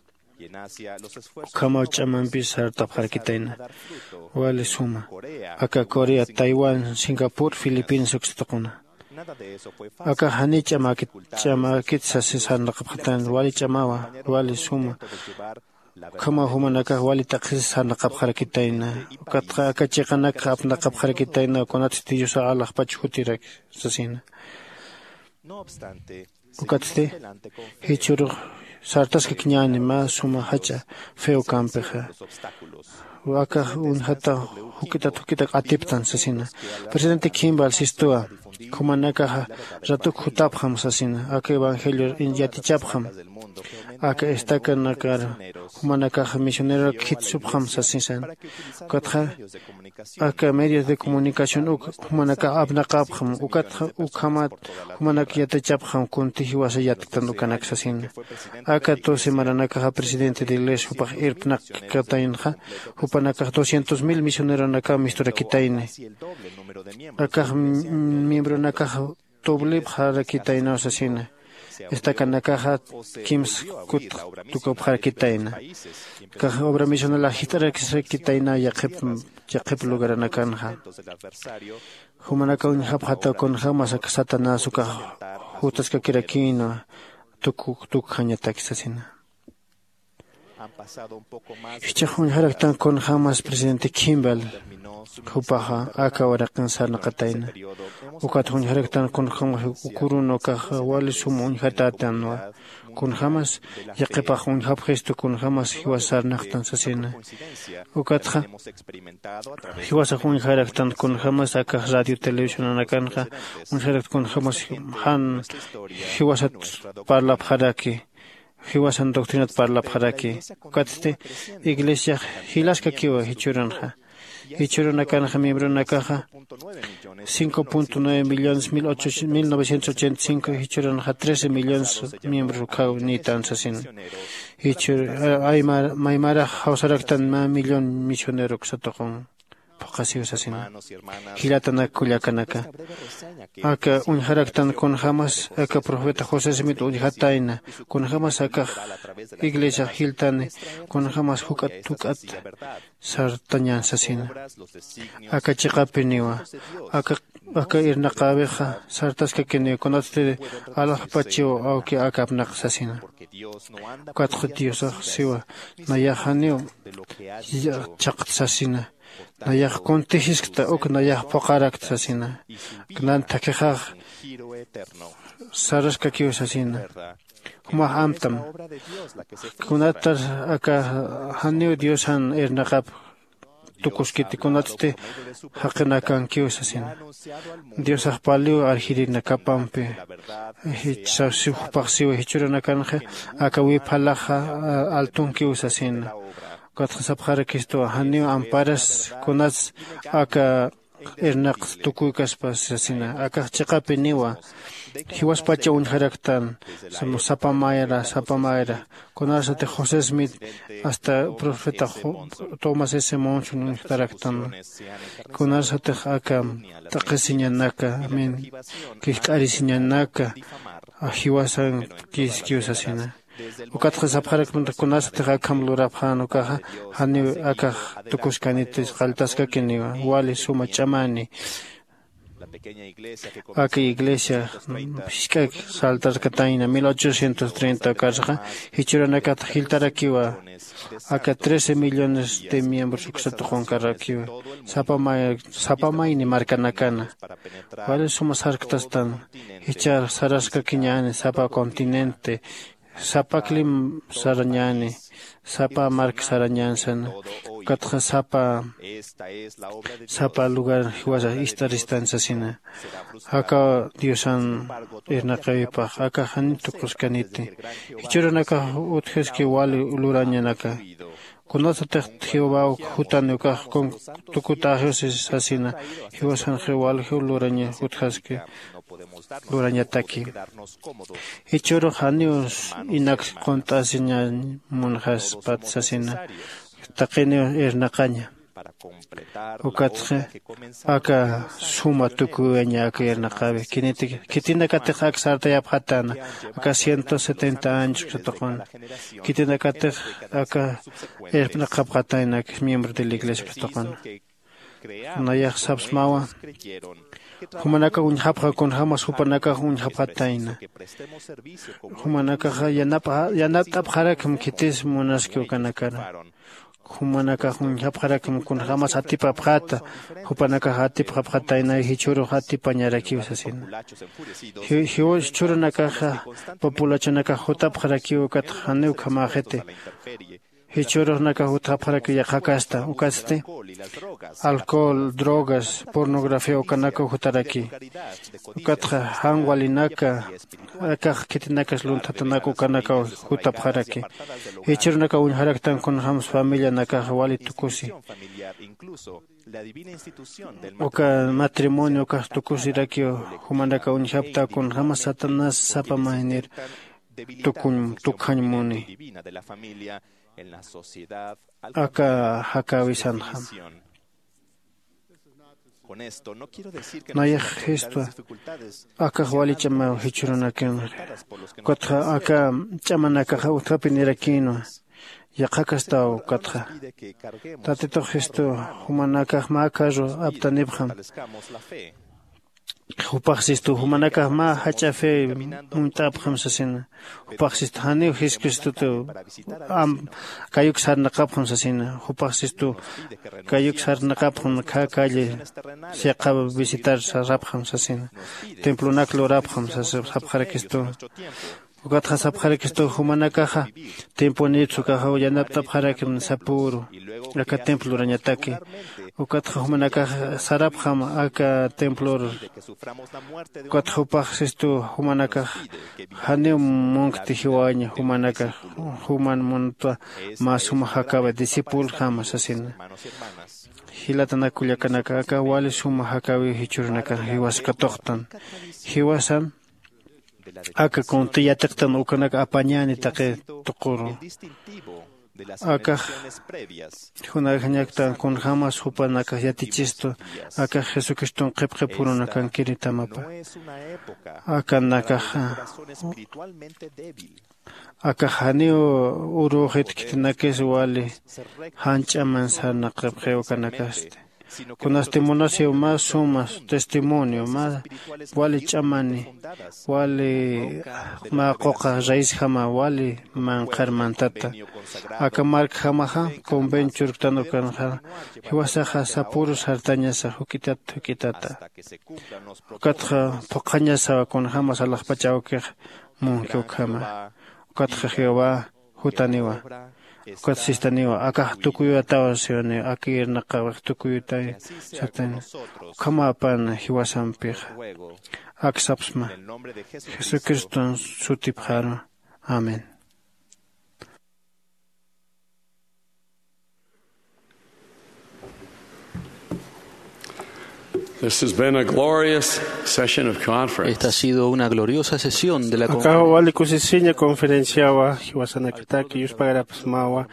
Ukhamaw ch'amampis sartapxarakitayna. Wali suma aka corea taiwán singapur filipinas uksituquna. Aka janiy ch'amäkit ch'amäkit sasi sarnaqapxatayna wali ch'amawa. Wali suma ukhamaw jumanakax wali t'aqhis sarnaqapxarakitayna. Ukatxa aka chiqanakxa apnaqapxarakitayna kunatsti diosa alaxpach jutirak sasina. Ukatsti jichhürux sartaskakiñäni mä suma jach'a feo kampixa. Akax uñjata juk'itat juk'itak atiptan sasina. Presidente kimball sistuwa jumanakaxa ratuk jutapxam sasina aka evangelio yatichapxam. Aka estacanakar jumanakax misionerorak jitsupxam sasisan. Ukatxa aka medios de comunicación uk jumanakax apnaqapxam. Ukatxa ukhamat jumanak yatichapxam kunti jiwasa yatktan ukanak sasina. Aka doce maranakaxa presidente de iglesia jupax irpnaqkataynxa, jupanakax doscientos mil misioneronakaw misturakitayni. Akax miembronakax tublipxarakitaynaw sasina. Estacanakaxa kimsa kut tukupxarakitayna. Akax obra misionalax jist'arakisrakitayna yaqhip yaqhip lugaranakanxa. Jumanakaw uñjapxataw kunjämas aka satanás ukax jutaskakirakïnwa tukukjañataki sasina. Jichhax uñjaraktan kunjämas presidente Kimball jupaxa aka waraqin sarnaqatayna. Ukat uñjaraktan kunjämas ukurun ukax wali sum uñjatätanwa. Kunjämas yaqhipax uñjapxistu kunjämas jiwas sarnaqtan sasina. Ukatxa jiwasax uñjaraktan kunjämas akax radio televisionanakanxa uñjarakt kunjämas jan jiwasat parlapxaraki, jiwasan doctrinat parlapxaraki. Ukatsti iglesiax jilaskakiwa jichhürunxa. Jichhürunakanxa miembronakaxa cinco punto nueve millones mil novecientos ochenta y cinco, jichhüranxa trece millones miembros ukhaw niytan sasin. Jichhür maymarax jawsaraktan mä millón misionero uksa tuqun phuqhasiw sasina. Jillatanak kullakanaka, aka uñjaraktan kunjämas aka profeta josé smit uñjatayna, kunjämas akax iglesiax jiltani, kunjämas juk'at juk'at sartañän sasina. Aka chiqapiniwa aka aka irnaqäwixa sartaskakiniw kunatsti alaxpachiw awki aka apnaq sasina. Ukatxa diosax siwa, nayax janiw chhaqt sasina. Nayax kuntijiskta uk nayax phuqharakt sasina. Nan thakhixax saraskakiw sasina. Jumax amtam. Kunatar aka janiw diosan irnaqap tukuskiti kunatsti jaqinakankiw sasina. Diosax paliw arjirinakapampi. Jupax siwa jichhüranakanxa aka wiphalaxa altunkiw sasina. Ukatxa sapxarakistuwa janiw amparas kunats aka irnaqs tukuykaspas sasina. Akax chiqapiniwa jiwaspacha uñjaraktan sapa mayra sapa mayra. Kunarsatix josé smith hasta profeta tomás s monson uñjtaraktan. Kunarsatix aka t'aqhisiñanaka min kijk'arisiñanaka jiwasan kiskiw sasina. Ukatxa sapxarakmanta kunasatix akham lurapxän ukaxa janiw akax tukuskaniti qalltaskakiniwa wali suma ch'amani. Aka iglesia jisk'ak saltarkatayna mil ochocientos treinta ukarsaxa jichhüranakat jiltarakiwa. Aka trece millones de miembros uksa tuqunkarrakiwa sapa mayni markanakana. Wali suma sarktastan jichhar saraskakiñäni sapa continente sapa clima sarañäni sapa mark sarañän sana. Ukatxa sapa sapa lugar jiwasa ist'aristan sasina. Aka diosan irnaqawipax aka jani tukuskaniti. Jichhürunakax utjaski wali lurañanaka. Kunasatix jehovaw jutani ukax tukutäxiw sasina. Jiwasanxiw waljiw luraña utjaski lurañataki. Jichhürux janiw inak qunt'asiñañ munxaspat sasina. Taqiniw irnaqaña. Ukatxa aka suma tukuyaña aka irnaqäwi khitinakatix ak sartayapxatäna aka ciento setenta años uksatuqun. Khitinakatix aka irpnaqapxatayna ak miembro de la iglesia uksatuqun. Nayax sapsmawa jumanakax uñjapxa kunjämas jupanakax uñjapxatayna. Jumanakaxa yanapt'apxarakma khitis munaski ukanakara. Jumanakax uñjapxarakma kunjämas atipapxäta. Jupanakax atipxapxatayna jichhürux atipañarakiw sasina. Jichhürunakaxa populachunakax jutapxarakiw ukatxa janiw ukhamäxiti. Jichhürux nakax jutxapxaraki yaqhakasta ukatsti alcohol, drogas, pornografía ukanakaw jutaraki. Ukatxa jan walinaka akax khitinakas lunthatanaka ukanakaw jutapxaraki. Jichhürunakaw uñjaraktan kunjämas familianakaxa wali tukusi. Uka matrimonio ukax tukusirakiw jumanakaw uñjapta kunjämas satanás sapa maynir tukuñ tukjañ muni. Aka jakäwisanxam. Nayax jistwa akax wali ch'amaw jichhürunakanxa. Ukatxa aka ch'amanakaxa utjapi nirakïnwa. Yaqhakastaw ukatxa tatitux jistu jumanakax mä carro aptanipxam. Jupax sistu jumanakax mä jach'a fe munt'apxam sasina. Jupax sistu janiw jiskustutu kayuk sarnaqapxam sasina. Jupax sistu kayuk sarnaqapxam khä calle siqa visitar sarapxam sasina. Templonak lurapxam sapxarakistu. Ukatxa sapxarakistu jumanakaxa tiemponitsa ukaxa yanapt'apxarakim sapüru aka templo lurañataki. Ukatxa jumanakaxa sarapxam aka templor. Ukatxa jupax sistu jumanakax janiw munkti jiwaña jumanakax juman muntwa mä suma jakäwi discipulxama sasina. Jilatanak kullakanaka aka wali suma jakäwiw jichhürunakan jiwas katuqtan. Jiwasan aka kunti yatiqtan ukanak apañäni taqi tuquru. Akax junajañaktan kunjämas jupanakax yatichistu akax jesucriston qhipqhip jurunakankiritamapa. Akanakaxa akax janiw urüxit khitinakis wali jan ch'aman sarnaqapxiw ukanakasti. Kunasti munasiw mä suma testimonio mä wali ch'amani wali mä quqa raisjama wali manqhar mantata. Aka markjamaxa convenchurktan ukanxa jiwasaxa sapüru sartañasa juk'itat juk'itata. Ukatxa phuqhañasawa kunjämas alaxpach awkix munki ukhama. Ukatxa jehová jutaniwa. Ukat sistaniwa akax tukuyuwataw siwaniw aka irnaqawix tukuyutay satani. Ukhamapan jiwasampixa aksapsma jesucriston sutipxaru. Amén. This has been a glorious session of conference. Esta ha sido una gloriosa sesión de la akaw conferencia. Wali kusisiña conferenciawa jiwasanakataki yuspagarapasmawa.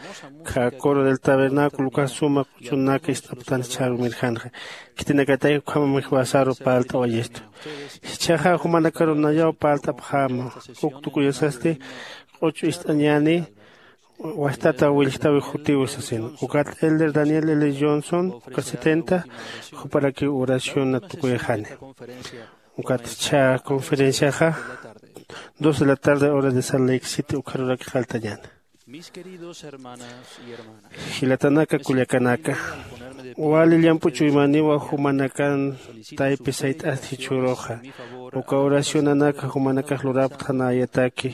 Kha coro del tabernáculo uka suma q'uchunaka ist'aptan chharu mirjanxa khitinakataki ukhamam jiwasaru parlt'awayistu. Jichhaxa jumanakaru nayaw parlt'apxäma uk tukuyasasti q'uch'u ist'añäni wastata willjtawi jutiwi sasin. Ukat elder daniel l johnson uka setenta juparakiw oraciona tukuyxani. Ukat chha conferenciaxa dos de la tarde hora de salt lake city ukharurak qalltañäna. Jilatanaka kullakanaka, wali llamp'u chuymaniwa jumanakan taypi sayt'asti jichhüruxa. Uka oracionanaka jumanakax lurapxtanayataki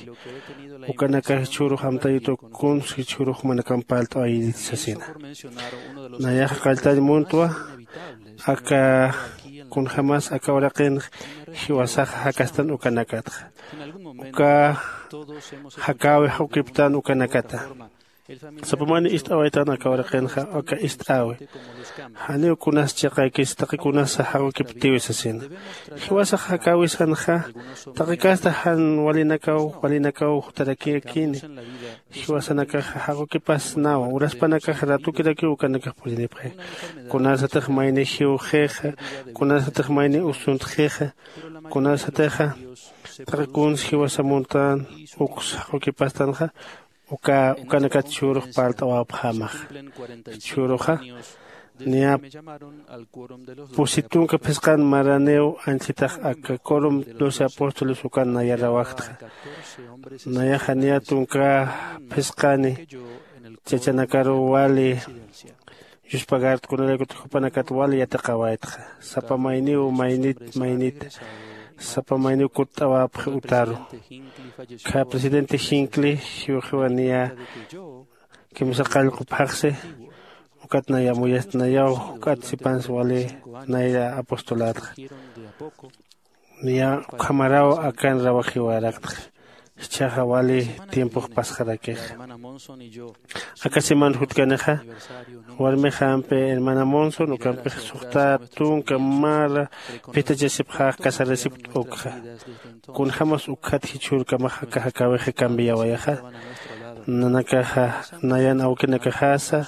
ukanakax jichhürux amtayutu kuns jichhürux jumanakan parlt'awayiti sasina. Nayaxa qalltañ muntwa aka kunjämas aka uraqinx jiwasaxa jakastan ukanakatxa. Uka jakäwi jaqukiptan ukanakata. Sapamani ist'awaytan aka uraqinxa aka ist'äwi. Janiw kunas chiqaykis taqi kunasa jaqukiptiwi sasina. Jiwasax jakäwisanxa taqi kasta jan walinakaw walinakaw jutarakiyakini. Jiwasanakaxa jaqukipasnawa uraspanakax ratukirakiw ukanakax purinipxi. Kunasatix mayni jiwxixa kunasatix mayni usuntxixa kunasatixa taqi kuns jiwasa muntan uks jaqukipastanxa. Uka ukanakat jichhürux parlt'awapxämaxa. Jichhüruxa niya pusi tunka phisqan maraniw anchitax aka corom doce apóstoles ukan nayarawaktxa. Nayaxa niya tunka phisqani chachanakaruw wali yuspagarta kunalaykutix jupanakat wali yatiqawaytxa. Sapa mayniw maynit maynita sapa mayniw kutt'awapxi utaru. Kha presidente jinkli jiwxiwa niya Kimsa qallqu phaxsi ukat naya muyast nayaw juk'at sipansi wali nayra apostolatxa. Niya ukhamaraw akan rawajiwaraktxa. Jichhaxa wali tiempox pasxarakixa. Aka semana jutkanixa warmixampi hermana Monson ukampix suxta tunka mara phitachasipxax casarasipkt ukxa. Kunjämas ukkhat jichhürkamax aka jakäwixa cambiawayaxa. Nanakaxa nayan awkinakaxasa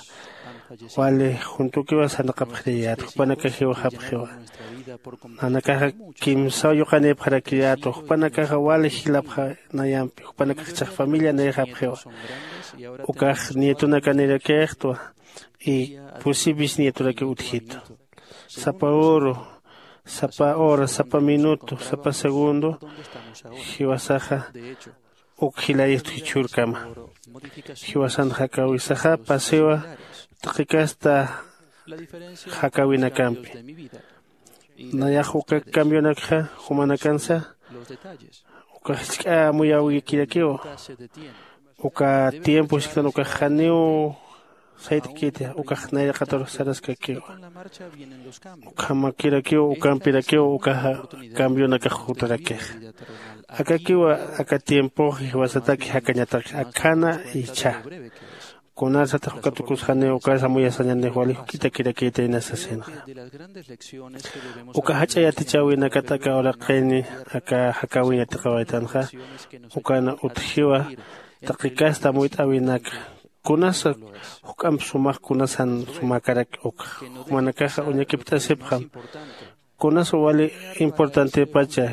wali juntukiwa sarnaqapxiriyät jupanakax jiwxapxiwa. Nanakaxa kimsaw yuqanïpxarakiyätwa jupanakaxa wali jilapxa nayampi jupanakax ichhax familia nayxapxiwa. Ukax nietonakanirakïxtwa y pusi bisnietorakiw utjitu. Sapa uru, sapa hora, sapa minuto, sapa segundo jiwasaxa uk jilayistu jichhürkama. Jiwasan jakäwisaxa pasiwa taqi casta jakäwinakampi. Nayax uka cambianakxa jumanakansa uka jisk'a amuyawikirakiwa. Uka tiempo jisk'tan ukax janiw sayt'kiti ukax nayraqatarux saraskakiwa. Ukhamakirakiw ukampirakiw ukaxa cambianakax jutarakixa. Akakiwa aka tiempox jiwasataki jakañataki akhana jichha. Kunarsatix uka tukus janiw ukarsa amuyasañanix wali juk'itakirakïta inas sasinxa. Uka jach'a yatichäwinakat aka uraqini aka jakäwin yatiqawaytanxa. Ukan utjiwa taqi casta amuyt'äwinaka kunasa juk'amp sumax kunasan sumäkarak ukxa. Jumanakaxa uñakipt'asipxam kunasa wali importantepacha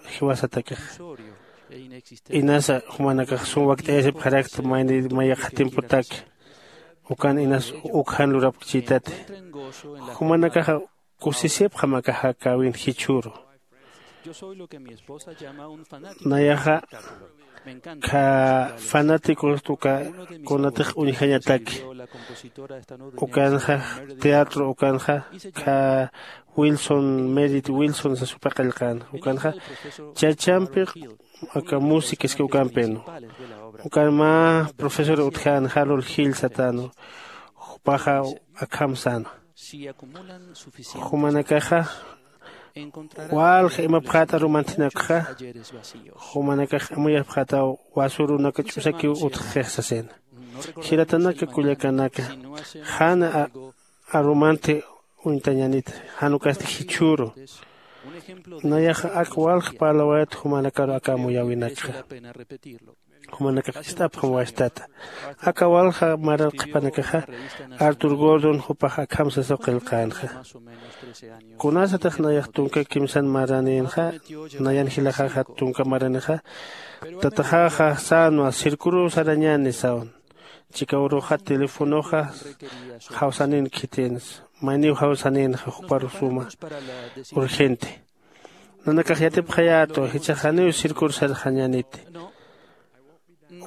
jiwasatakixa. Inasa jumanakax sum wakt'ayasipxarakta mayni mayaqha tiempotaki. Ukan inas uk jan lurapkchïtati. Jumanakaxa kusisipxam aka jakäwin jichhüru. Nayaxa kha fanáticos uka kunatix uñjañataki. Ukanxa teatro ukanxa kha Wilson merit Wilson sasupa qillqän ukanxa chachampi aka música iski ukampinu. Ukan mä profesor utjän jalul jil satänu. Jupaxa akham säna jumanakaxa walja imapxät arumantinakxa. Jumanakax amuyapxätaw wasurunaka ch'usakiw utjxix sasina. Jiratanaka kullakanaka jan arumanti uñtañanita jan ukasti jichhüru. Nayaxa ak walja parlawayat jumanakaru aka amuyäwinakxa. Jumanakax ist'apxam wastata. Aka walja marar qhipanakaxa artur gordon jupax akham sasaw qillqänxa. Kunasatix nayax tunka kimsan maranïnxa nayan jilaxaxat tunka maranixa tataxaxa sänwa circuruw sarañäni sawn. Chikaw uruxa telefonoxa jawsanïn khitïnsa mayniw jawsanïnxa jupar suma urgente. Nanakax yatipxayätwa jichhax janiw circur sarxañäniti.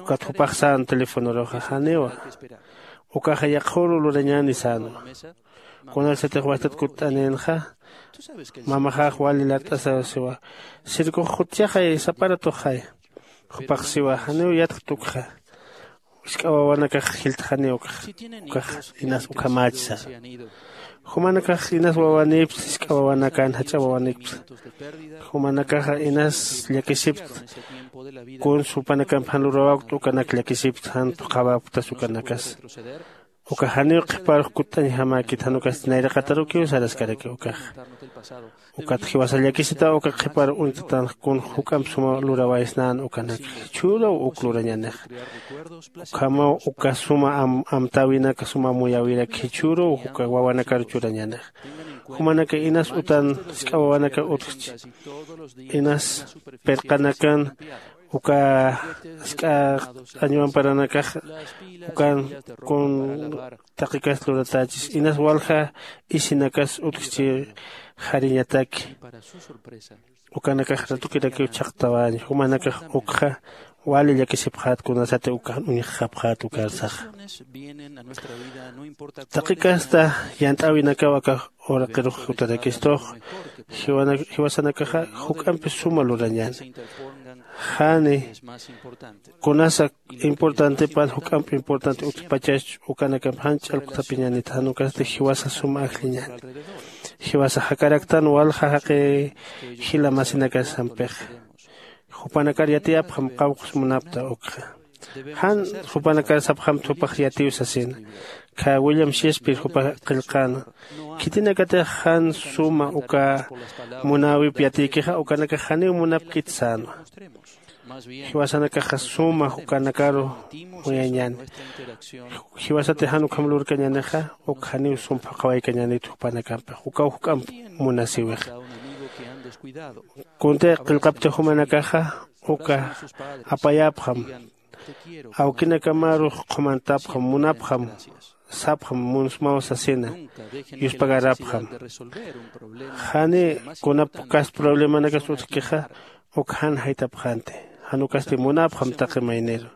Ukat jupax sän telefonoruxa janiwa. Ukaxa yaqhüru lurañäni sänwa. Kunarsatix wastat kutt'anïnxa mamaxax wali lart'asasiwa. Circox jutchaxay saparatuxay. Jupax siwa janiw yatkt ukxa. Jisk'a wawanakax jiltxaniw ukxa. Ukax inas ukhamächsa. Jumanakax inas wawanïpsa jisk'a wawanakan jach'a wawanïpsa. Jumanakaxa inas llakisipta. Kuns jupanakamp jan lurawäkta ukanak llakisipta jan phuqhawäktas ukanakas. Uka janiw qhiparux kutt'añjamäkit jan ukasti nayraqatarukiw saraskarakiw ukaxa. Ukat jiwasa llakisitaw uka qhipar uñt'tanx kun juk'amp suma lurawaysnän ukanakxa jichhüruw uk lurañänixa. Ukhamaw uka suma amtäwinaka suma amuyäwirak jichhüruw uka wawanakar churañänixa. Jumanaka inas utan jisk'a wawanaka utjchi. Inas pirqanakan uka jisk'a añuwamparanakax ukan kun taqikas luratächis inas walja isinakas utjchi jariñataki. Ukanakax ratukirakiw chhaqtawaña jumanakax ukxa wali llakisipxät kunasati ukan uñjxapxät ukarsaxa. Taqi casta yant'äwinakaw aka uraqirux jutarakistux. Jiwasanakaxa juk'ampi suma lurañäni. Jani kunasa importantepan juk'amp importante utjpachach, ukanakamp jan ch'alkutapiñanit, jan ukasti jiwasa suma ajlliñani. Jiwasa jakaraktan walja jaqi jila masinakasampixa, jupanakar yatiyapxam qawqs munapta ukxa. Jan jupanakar sapxamta jupax yatiw sasina. Kha William Shakespeare jupax qillqäna, khitinakatix jan suma uka munäwip yatiykixa ukanakax janiw munapkit sänwa. Jiwasanakaxa suma ukanakaru muyañäni. Jiwasatix jan ukham lurkañänixa uk janiw sum phuqhawaykañänit jupanakampix, ukaw juk'amp munasïwixa. Kuntix qillqaptix jumanakaxa uka apayapxam, awkinakamarux qhumantapxam, munapxam, sapxam munsmaw sasina, yuspagarapxam. Jani kunap kas problemanakas utjkixa uk jan jaytapxänti, jan ukasti munapxam taqi mayniru.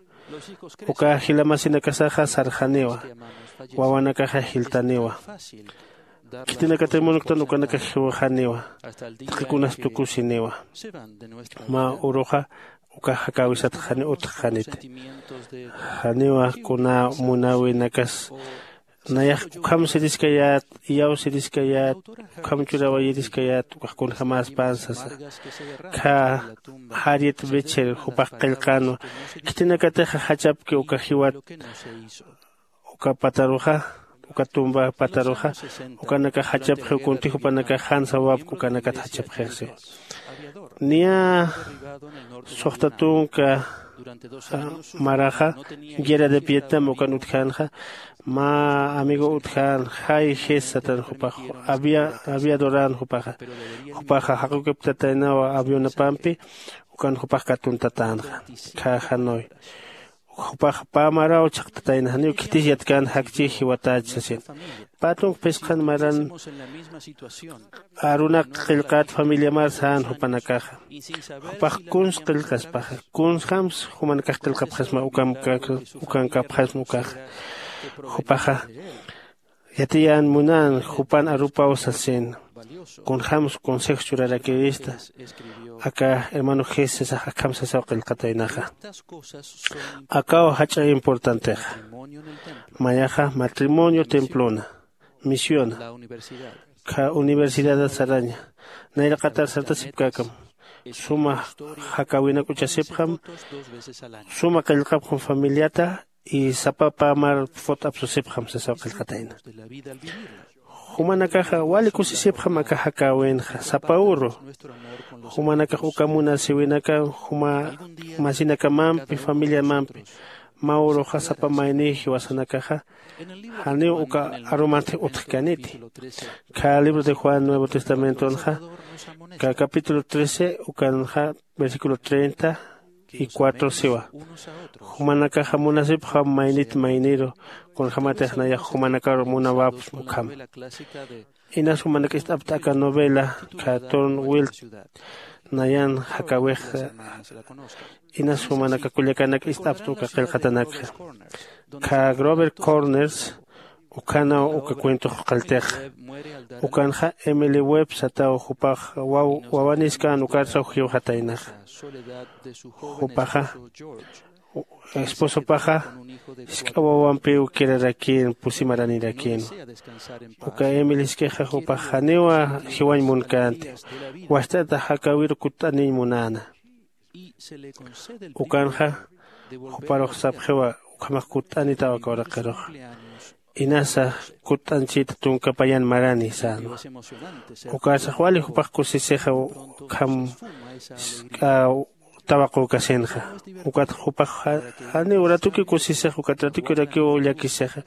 Uka jila masinakasaxa sarxaniwa, wawanakaxa jiltaniwa. Khitinakatix munuktan ukanakax jiwxaniwa, taqi kunas tukusiniwa. Mä uruxa uka jakäwisat janiw utjxaniti. Janiwa kuna munäwinakas nayax ukham siriskayät, iyaw siriskayät, ukham churawayiriskayät, ukax kunjämäspan sasa. Kha Harriet Beecher jupax qillqänwa, khitinakatixa jachapki uka jiwat uka pataruxa, uka tumba pataruxa, ukanakax jachapxiw kunti jupanakax jan sawapki ukanakat jachapxix siwa. Niya suxta tunka maraxa guerra de Vietnam ukan utjänxa, mä amigo utjän, Jay Hess satan jupax, aviadorän jupaxa. Jupaxa jaqukiptataynawa avionapampi, ukan jupax katuntatänxa. Kha Hanoi jupax pä maraw chhaqtatayna, janiw khitis yatkän jakchi jiwatach sasin. Pä tunk phisqhan maran arunak qillqät familiamar sän jupanakaxa. Jupax kuns qillqaspaxa, kunsjams jumanakax qillqapxasma ukankapxasma ukaxa. Jupaxa yatiyän munän jupan arupaw sasin. Kunjämsa consejo churarakirista. Aka hermano Jesúsax akham sasaw qillqataynaxa. Akaw jach'a importantexa. Mayaxa matrimonio templona, misiona, kha universidad saraña, nayraqatar sartasipkäkam, suma jakäwinak uchasipxam, suma qillqapxam familiata, y sapa pä mar fot apsusipxam sasaw qillqatayna. Jumanakaxa wali kusisipxam aka jakäwinxa sapa uru. Jumanakax uka munasïwinaka juma masinakamampi familiamampi, mä uruxa sapa mayniy jiwasanakaxa janiw uka arumantix utjkäniti. Kha libro de Juan Nuevo Testamentonxa, kha capítulo trece ukanxa versículo treinta y cuatro siwa. Jumanakaxa munasipxam maynit mayniru, kunjämatix nayax jumanakaru munawapxsma ukham. Inas jumanak ist'apta aka novela, kha Tom Wiltz nayan jakäwix, inas jumanaka kullakanak ist'apta uka qillqatanakxa. Kha Grover Corners, ukhanaw uka cuentox qalltixa. Ukanxa Emily Webb sataw, jupax waw wawanis kän ukarsaw jiwxataynaxa. Jupaxa esposopaxa jisk'a wawampiw kirarakïn pusi maranirakinwa. Uka Emily jisk'ixa jupax janiwa jiwañ munkänti, wast'ata jakäwiru kutt'aniñ munäna. Ukanxa juparux sapxiwa ukhamax kutt'anitaw aka uraqiruxa. Inasa kutt'añchita tunka payan marani sänwa. Ukarsax wali jupax kusisixa ukham jisk'a tawaqükasinxa. Ukat jupax janiw ratukiw kusisix ukat ratukirakiw llakisixa.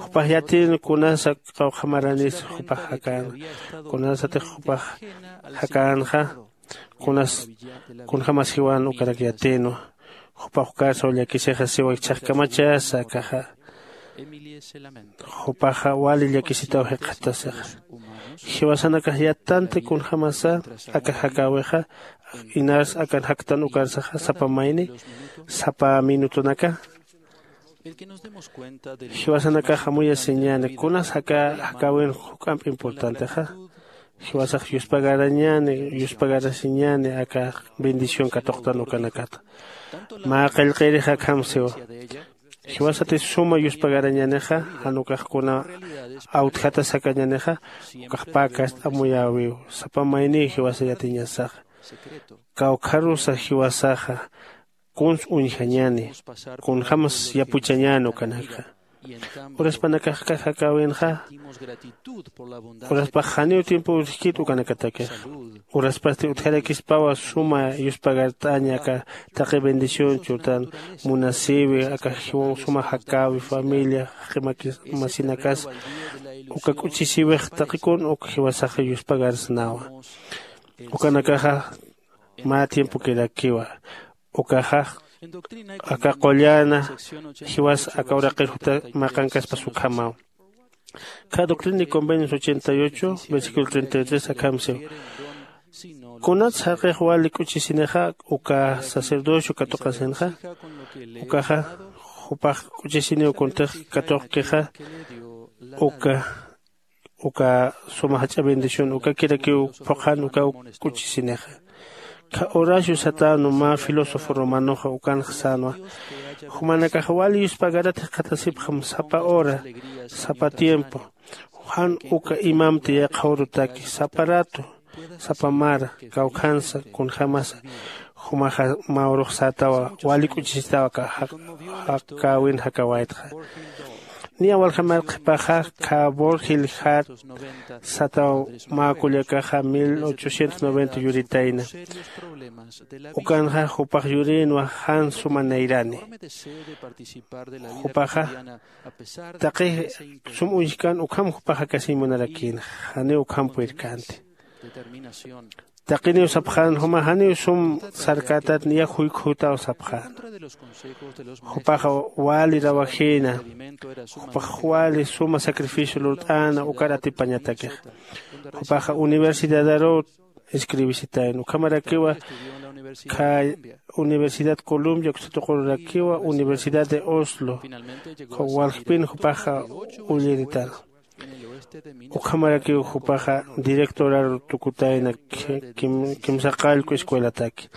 Jupax yatïn kunasa qawqha maranis jupax jakänxa, kunasatix jupax jakänxa, kunas kunjämas jiwan ukanak yatïnwa. Jupax ukarsaw llakisixa siwa jichhax kamachasa akaxa. Jupaxa wali llakisitaw jikxatasixa. Jiwasanakax yattanti kunjämasa aka jakäwixa, inas akan jaktan ukarsaxa sapa mayni sapa minutonaka. Jiwasanakax amuyasiñäni kunas jakäwin juk'amp importantexa. Jiwasax yuspagarañäni, yuspagarasiñäni aka bendición katuqtan ukanakata. Mä qillqirix akham siwa. Jiwasati suma yuspagarañänixa, jan ukax kuna awtjatas jakañänixa, ukax pä kast'a amuyäwiw. Sapa mayniw jiwasa yatiñasaxa, kawkharusa jiwasaxa kuns uñjañäni, kunjämas yapuchañäni ukanakxa. Uraspanakax aka jakäwinxa, uraspax janiw tiempo urjkit ukanakatakixa. Uraspasti utjarakispawa suma yuspagart'aña aka taqi bendición churtan, munasïwi aka jiwaw suma jakäwi, familia, jaqi maki masinakas, uka k'uchisïwix taqi kun uk jiwasaxa yuspagarsnawa. Ukanakaxa mä tiempokirakiwa. Ukaxa aka qullan jiwas aka uraqir juta maqankaspas ukhamaw. Kha Doctrina y Convenios ochenta y ocho, versículo treinta y tres akham siw. Kunats jaqix wali k'uchisinixa uka sacerdocio katuqasinxa, ukaxa jupax k'uchisiniw kuntix katuqkixa, uka uka suma jach'a bendición ukakirakiw phuqhan ukaw k'uchisinixa. Kha Horacio Satano mä filósofo romanoxa ukanx sänwa, jumanakax wali yuspagarat jikxatasipxam sapa hora, sapa tiempo, jan uka imamti yaqhawrutaki, sapa rato, sapa mara, kawkhansa, kunjämasa, jumaxa mä urux sätawa, wali k'uchisitaw aka jaq-, jakäwin jakawaytxa. Niya walja mark qhipaxa, kha Borgil Hart sataw mä kullakaxa mil ochocientos noventa yuritayna. Ukanxa jupax yurïnwa jan suma nayrani. Jupaxa taqi sum uñjkän ukham jupax jakasiñ munarakïnxa, janiw ukham purirkänti. Taqiniw sapxän juma janiw sum sarkätat niya juykjutaw sapxän. Jupaxa wali rawajïna, jupax wali suma sacrificio lurt'äna ukar atipañatakixa. Jupaxa universidadaruw escribisitayna. Ukhamarakiwa kha Universidad Columbia, uksa tuqururakiwa Universidad de Oslo. Kha waljpin jupaxa ulliritan. Ukhamarakiw jupaxa directorar tukutayna ki-, kim-, kimsa qallqu escuelataki.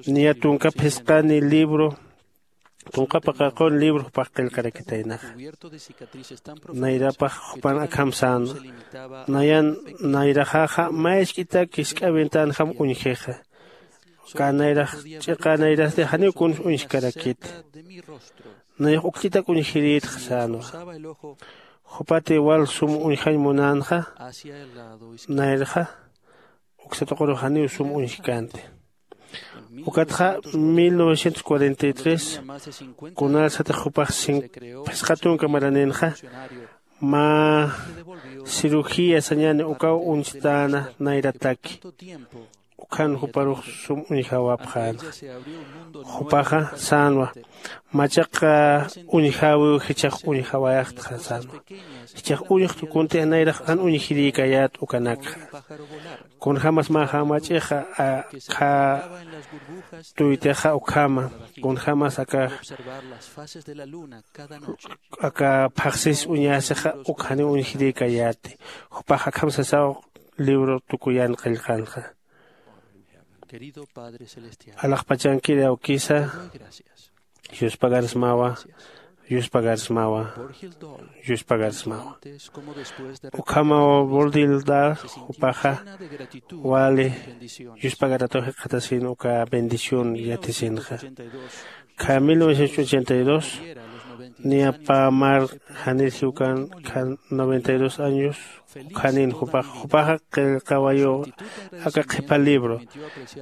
Niya tunka phisqani libro, tunka paqaqun libro jupax qillqarakitaynaxa. Nayrapax jupan akham sän, nayan nayraxaxa mä isk'itak jisk'a ventänjam uñjixa. Uka nayrax ch'iqa nayrasti janiw kuns uñjkarakiti. Nayax ukch'itak uñjirïtxa sänwa. Jupati wal sum uñjañ munänxa, nayrxa uksa tuqurux janiw sum uñjkänti. Ukatxa mil novecientos cuarenta y tres, kunarsatix jupax cin-, phisqa tunka maraninxa, mä cirugía sañäni ukaw uñstäna nayrataki. Ukhan juparux sum uñjawapxänxa. Jupaxa sänwa, machaqa uñjäwiw jichhax uñjawayaxtxa sänwa. Jichhax uñjtu kuntix nayrax an uñjirïkayät ukanakxa. Kunjämas mä jamachixa, a, kha tuytixa ukhama, kunjämas aka, aka phaxsis uñasixa uk janiw uñjirïkayäti. Jupax akham sasaw libro tukuyan qillqanxa. Alaxpachankiri awkisa, yuspagarsmawa, yuspagarsmawa, yuspagarsmawa. Ukhamaw Borgil Hart jupaxa wali yuspagaratuw jikxatasin uka bendición yatisinxa. Kha mil novecientos ochenta y dos, niya pä mar janir jiwkan, kha noventa y dos años, ukhanin jupax, jupaxa qillqawayiw aka qhipa libro,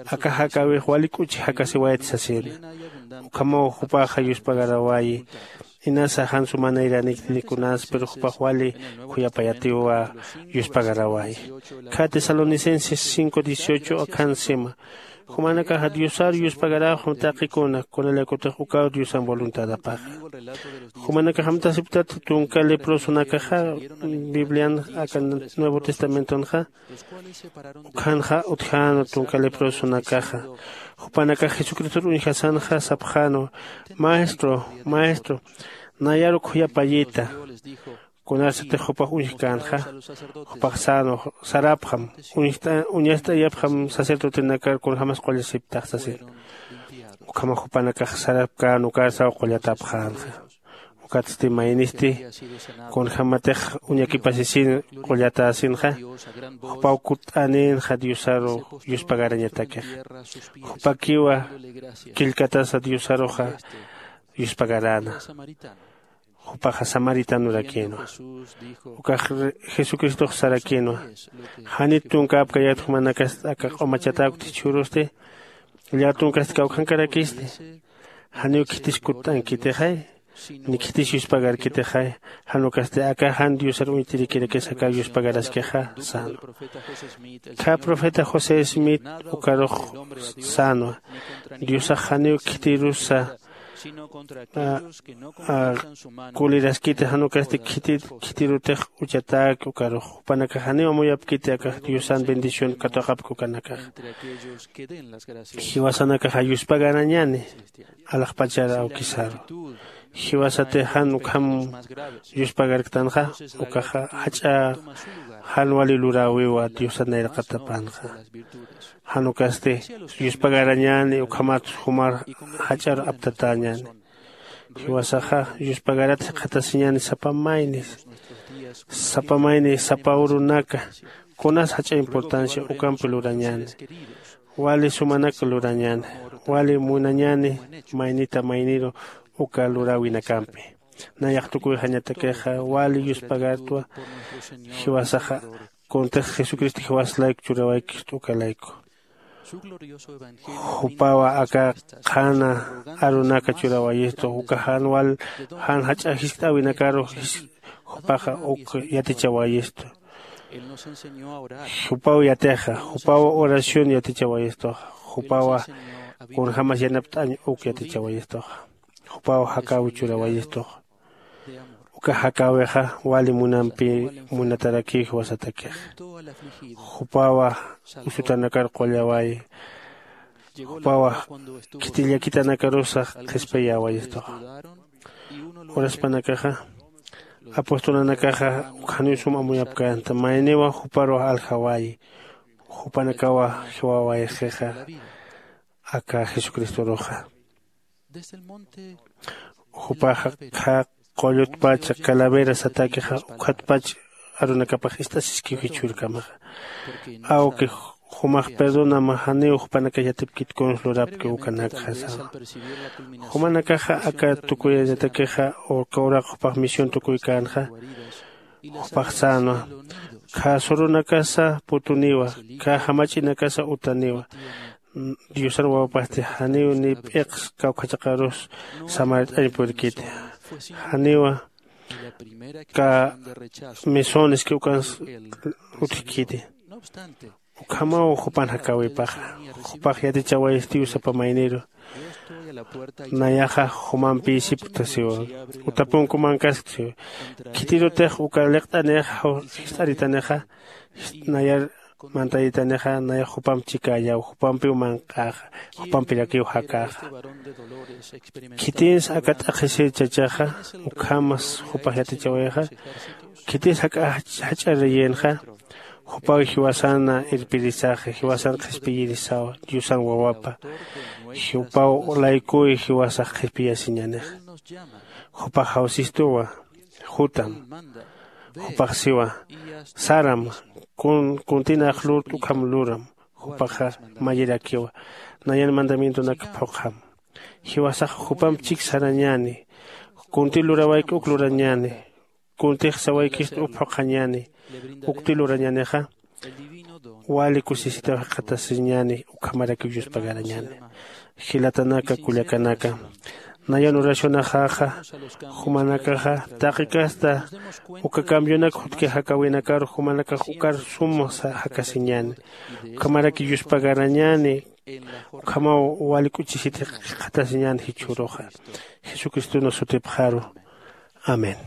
aka jakäwix wali k'uchi jakasiwayt sasina. Ukhamaw jupaxa yuspagarawayi, inasa jan suma nayranikti kunas, pero jupax wali khuyapayatiwa yuspagarawayi. Kha Tesalonicenses cinco dieciocho akhan sima, jumanakaxa Diosar yuspagaraxam taqikuna, kunalakutix ukaw Diosan voluntadapaxa. Jumanakax amtasiptat tunka leprosonakaxa, Biblian aka Nuevo Testamentonxa, ukhanxa utjäna tunka leprosonakaxa. Jupanakax Jesucristor uñjasanxa sapxänwa, Maestro, Maestro, nayar khuyapayita. Kunarsatix jupax uñjkänxa, jupax sano sarapxam, uñjt'a uñast'ayapxam sacerdotenakar kunjamas qullasiptax sasin. Ukhama jupanakax sarapkän ukar saw qullatapxänxa. Ukatsti maynisti kunjämatix uñakipasisin qullatäsinxa, jupaw kutt'anïnxa diosaru yuspagarañatakixa. Jupakiwa killkatasa diosaruxa yuspagaräna. Jupaxa samaritanorakïnwa. Ukax jesucristox sarakïnwa, janit tunkäpkayät jumanakasti aka q'umachatäkti jichhürusti, llätunkasti kawkhankarakisti. Janiw khitis kutt'ankitixay, ni khitis yuspagarkitixay. Jan ukasti aka jan diosar uñt'irikirakis aka yuspagaraskixa sänwa. Khä profeta josé smith ukarux sänwa, diosax janiw khitirusa kuliraskiti jan ukasti khitirutix uchatäki ukarux jupanakax janiw amuyapkiti akax diosan bendición katuqapki ukanakaxa. Jiwasanakaxa yuspagarañäni alaxpachar awkisaru. Jiwasatix jan ukham yuspagarktanxa, ukaxa jach'a jan wali luräwiwa diosan nayraqatapanxa. Jan ukasti yuspagarañäni ukhamat jumar jach'ar aptatäñäni. Jiwasaxa yuspagarat jikxatasiñäni sapa mayni, sapa mayni sapa urunaka. Kunas jach'a importancia ukampi lurañäni. Wali sumanak lurañäni, wali munañäni maynita mayniru uka luräwinakampi. Nayax tukuyxañatakixa wali yuspagartwa. Jiwasaxa kuntix jesucristo jiwas layku churawaykist uka layku. Jupawa aka qhana arunaka churawayistu uka jan wal jan jach'a jiskt'äwinakaru jupaxa uk yatichawayistu. Jupaw yatixa jupaw oración yatichawayistuxa. Jupawa kunjämas yanapt'añ uk yatichawayistuxa. Jupaw jakäwi churawayistuxa. Uka jakäwixa wali munampi munatarakiw jiwasatakixa. Jupawa usutanakar qullawayi. Jupawa khiti llakitanakarusa qhispiyäwayistuxa. Uraspanakaxa apostolnanakaxa ukhaniw sum amuyapkänta mayniwa juparuw aljawayi. Jupanakawa jiwawayxixa aka jesucristoruxa. Jupaxa qha qullutpach calavera satakixa ukhatpach arunakapax ist'asiskiw jichhürkamaxa. Awki jumax perdonam janiw jupanakax yatipkit kuns lurapki ukanakxa sänwa. Jumanakaxa aka tukuyañatakixa uka uraq jupax misión tukuykänxa jupax sänwa. Khä surunakasa putuniwa, khä jamach'inakasa utaniwa. Diosan wawapasti janiw ni p'iqs kawkhachaqarus samart'añ purkiti. Janiwa kä misones que ukans utjkiti. Ukhamaw jupan jakäwipaxa jupax yatichawayistiw sapa mayniru. Nayaxa jumampïsipkta siwa. Utapunkumankaskta siwa. Khitirutix uka liqt'anix jist'aritanixa nayar mantayitanixa nayax jupamp chikäyaw jupampiw manq'äxa. Jupampirakiw jakäxa. Khitinsa aka t'aqhisir chachaxa ukhamas jupax yatichawayixa. Khitis jak'a jach'ariyinxa jupaw jiwasana irpirisaxa jiwasan qhispiyirisawa diosan wawapa. Jupaw laykuy jiwasax qhispiyasiñänixa. Jupax jawsistuwa. Jutam. Jupax siwa, saram, kun kuntinax lurt ukham luram. Jupaxa mayirakiwa, nayan mandamientonak phuqham. Jiwasax jupamp chik sarañäni. Kunti lurawayki uk lurañäni. Kuntix sawaykist uk phuqhañäni. Ukti lurañänixa wali kusisitaw jikxatasiñäni. Ukhamarakiw yuspagarañäni. Jilatanaka kullakanaka, nayan oracionaxaxa jumanakaxa taqi kasta uka cambiunak jutki jakäwinakar jumanakax ukar sum jakasiñäni. Ukhamaraki yuspagarañäni. Ukhamaw wali k'uchisit jikxatasiñäni jichhüruxa. Jesucriston sutipxaru. Amén.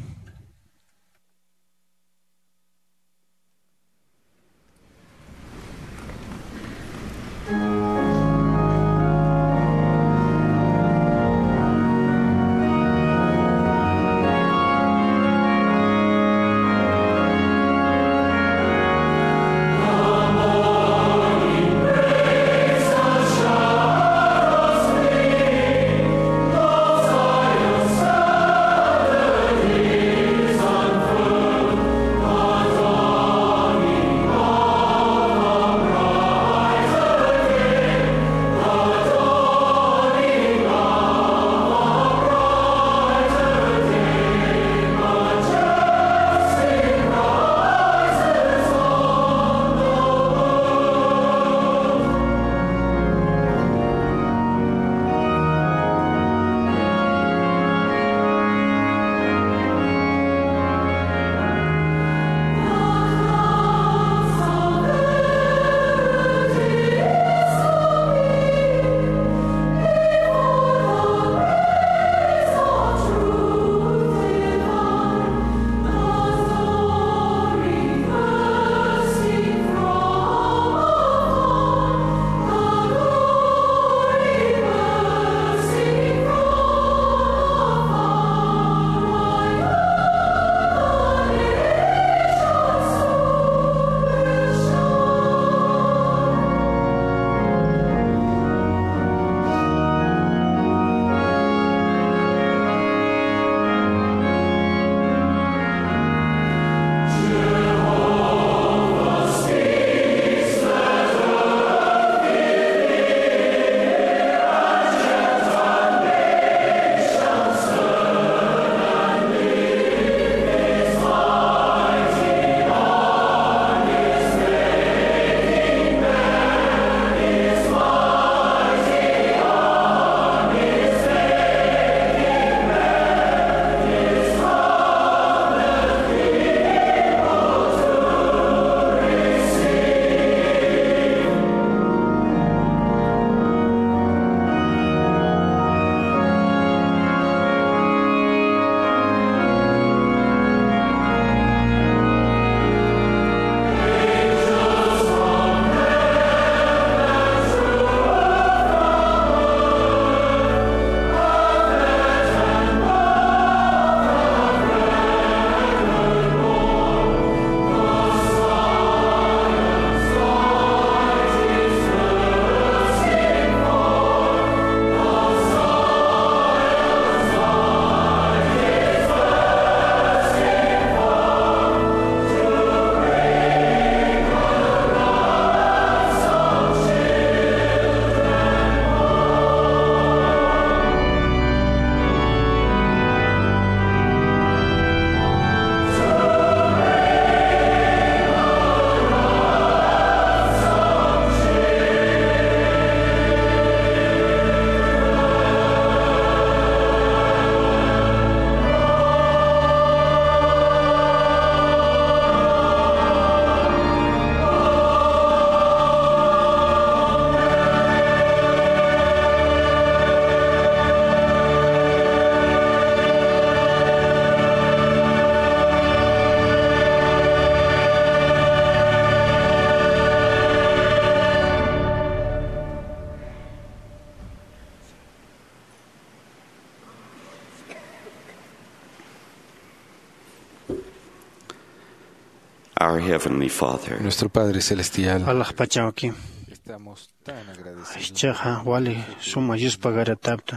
Our Heavenly Father. Nuestro Padre Celestial. Alaxpachawki. Estamos tan agradecidos. Jichhaxa wali suma yuspagaratapta.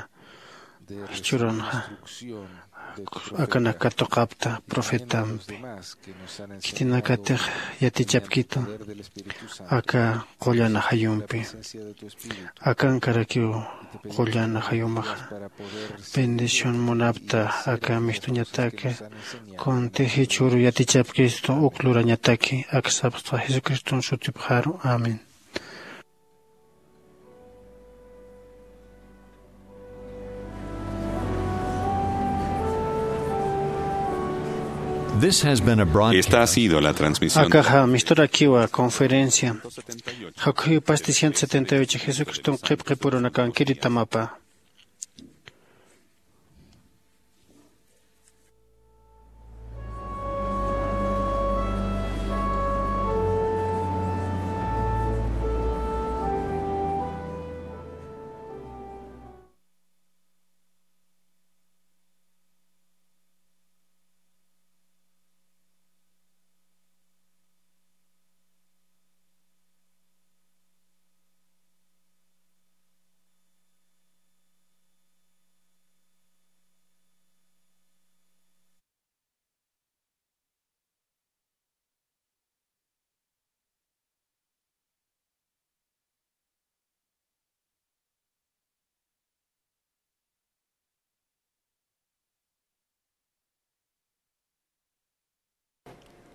Jichhürunxa akanaka katuqapta profetampi. Khitinakatix yatichapkitu aka qullan ajayumpi. Akankarakiw qullan ajayumaxa. Bendición munapta aka mistuñataki. Kunti jichhüru yatichapkistu uk lurañataki. Aka sapxta Jesucriston sutipxaru. Amén. This has been a broadcast. Esta ha sido la transmisión. Akaxa misturakiwa conferencia. Jakhuyu pasti ciento setenta y ocho, Jesucriston qhipqipurunakankiritamapa.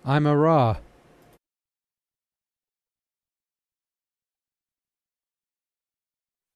I'm a raw.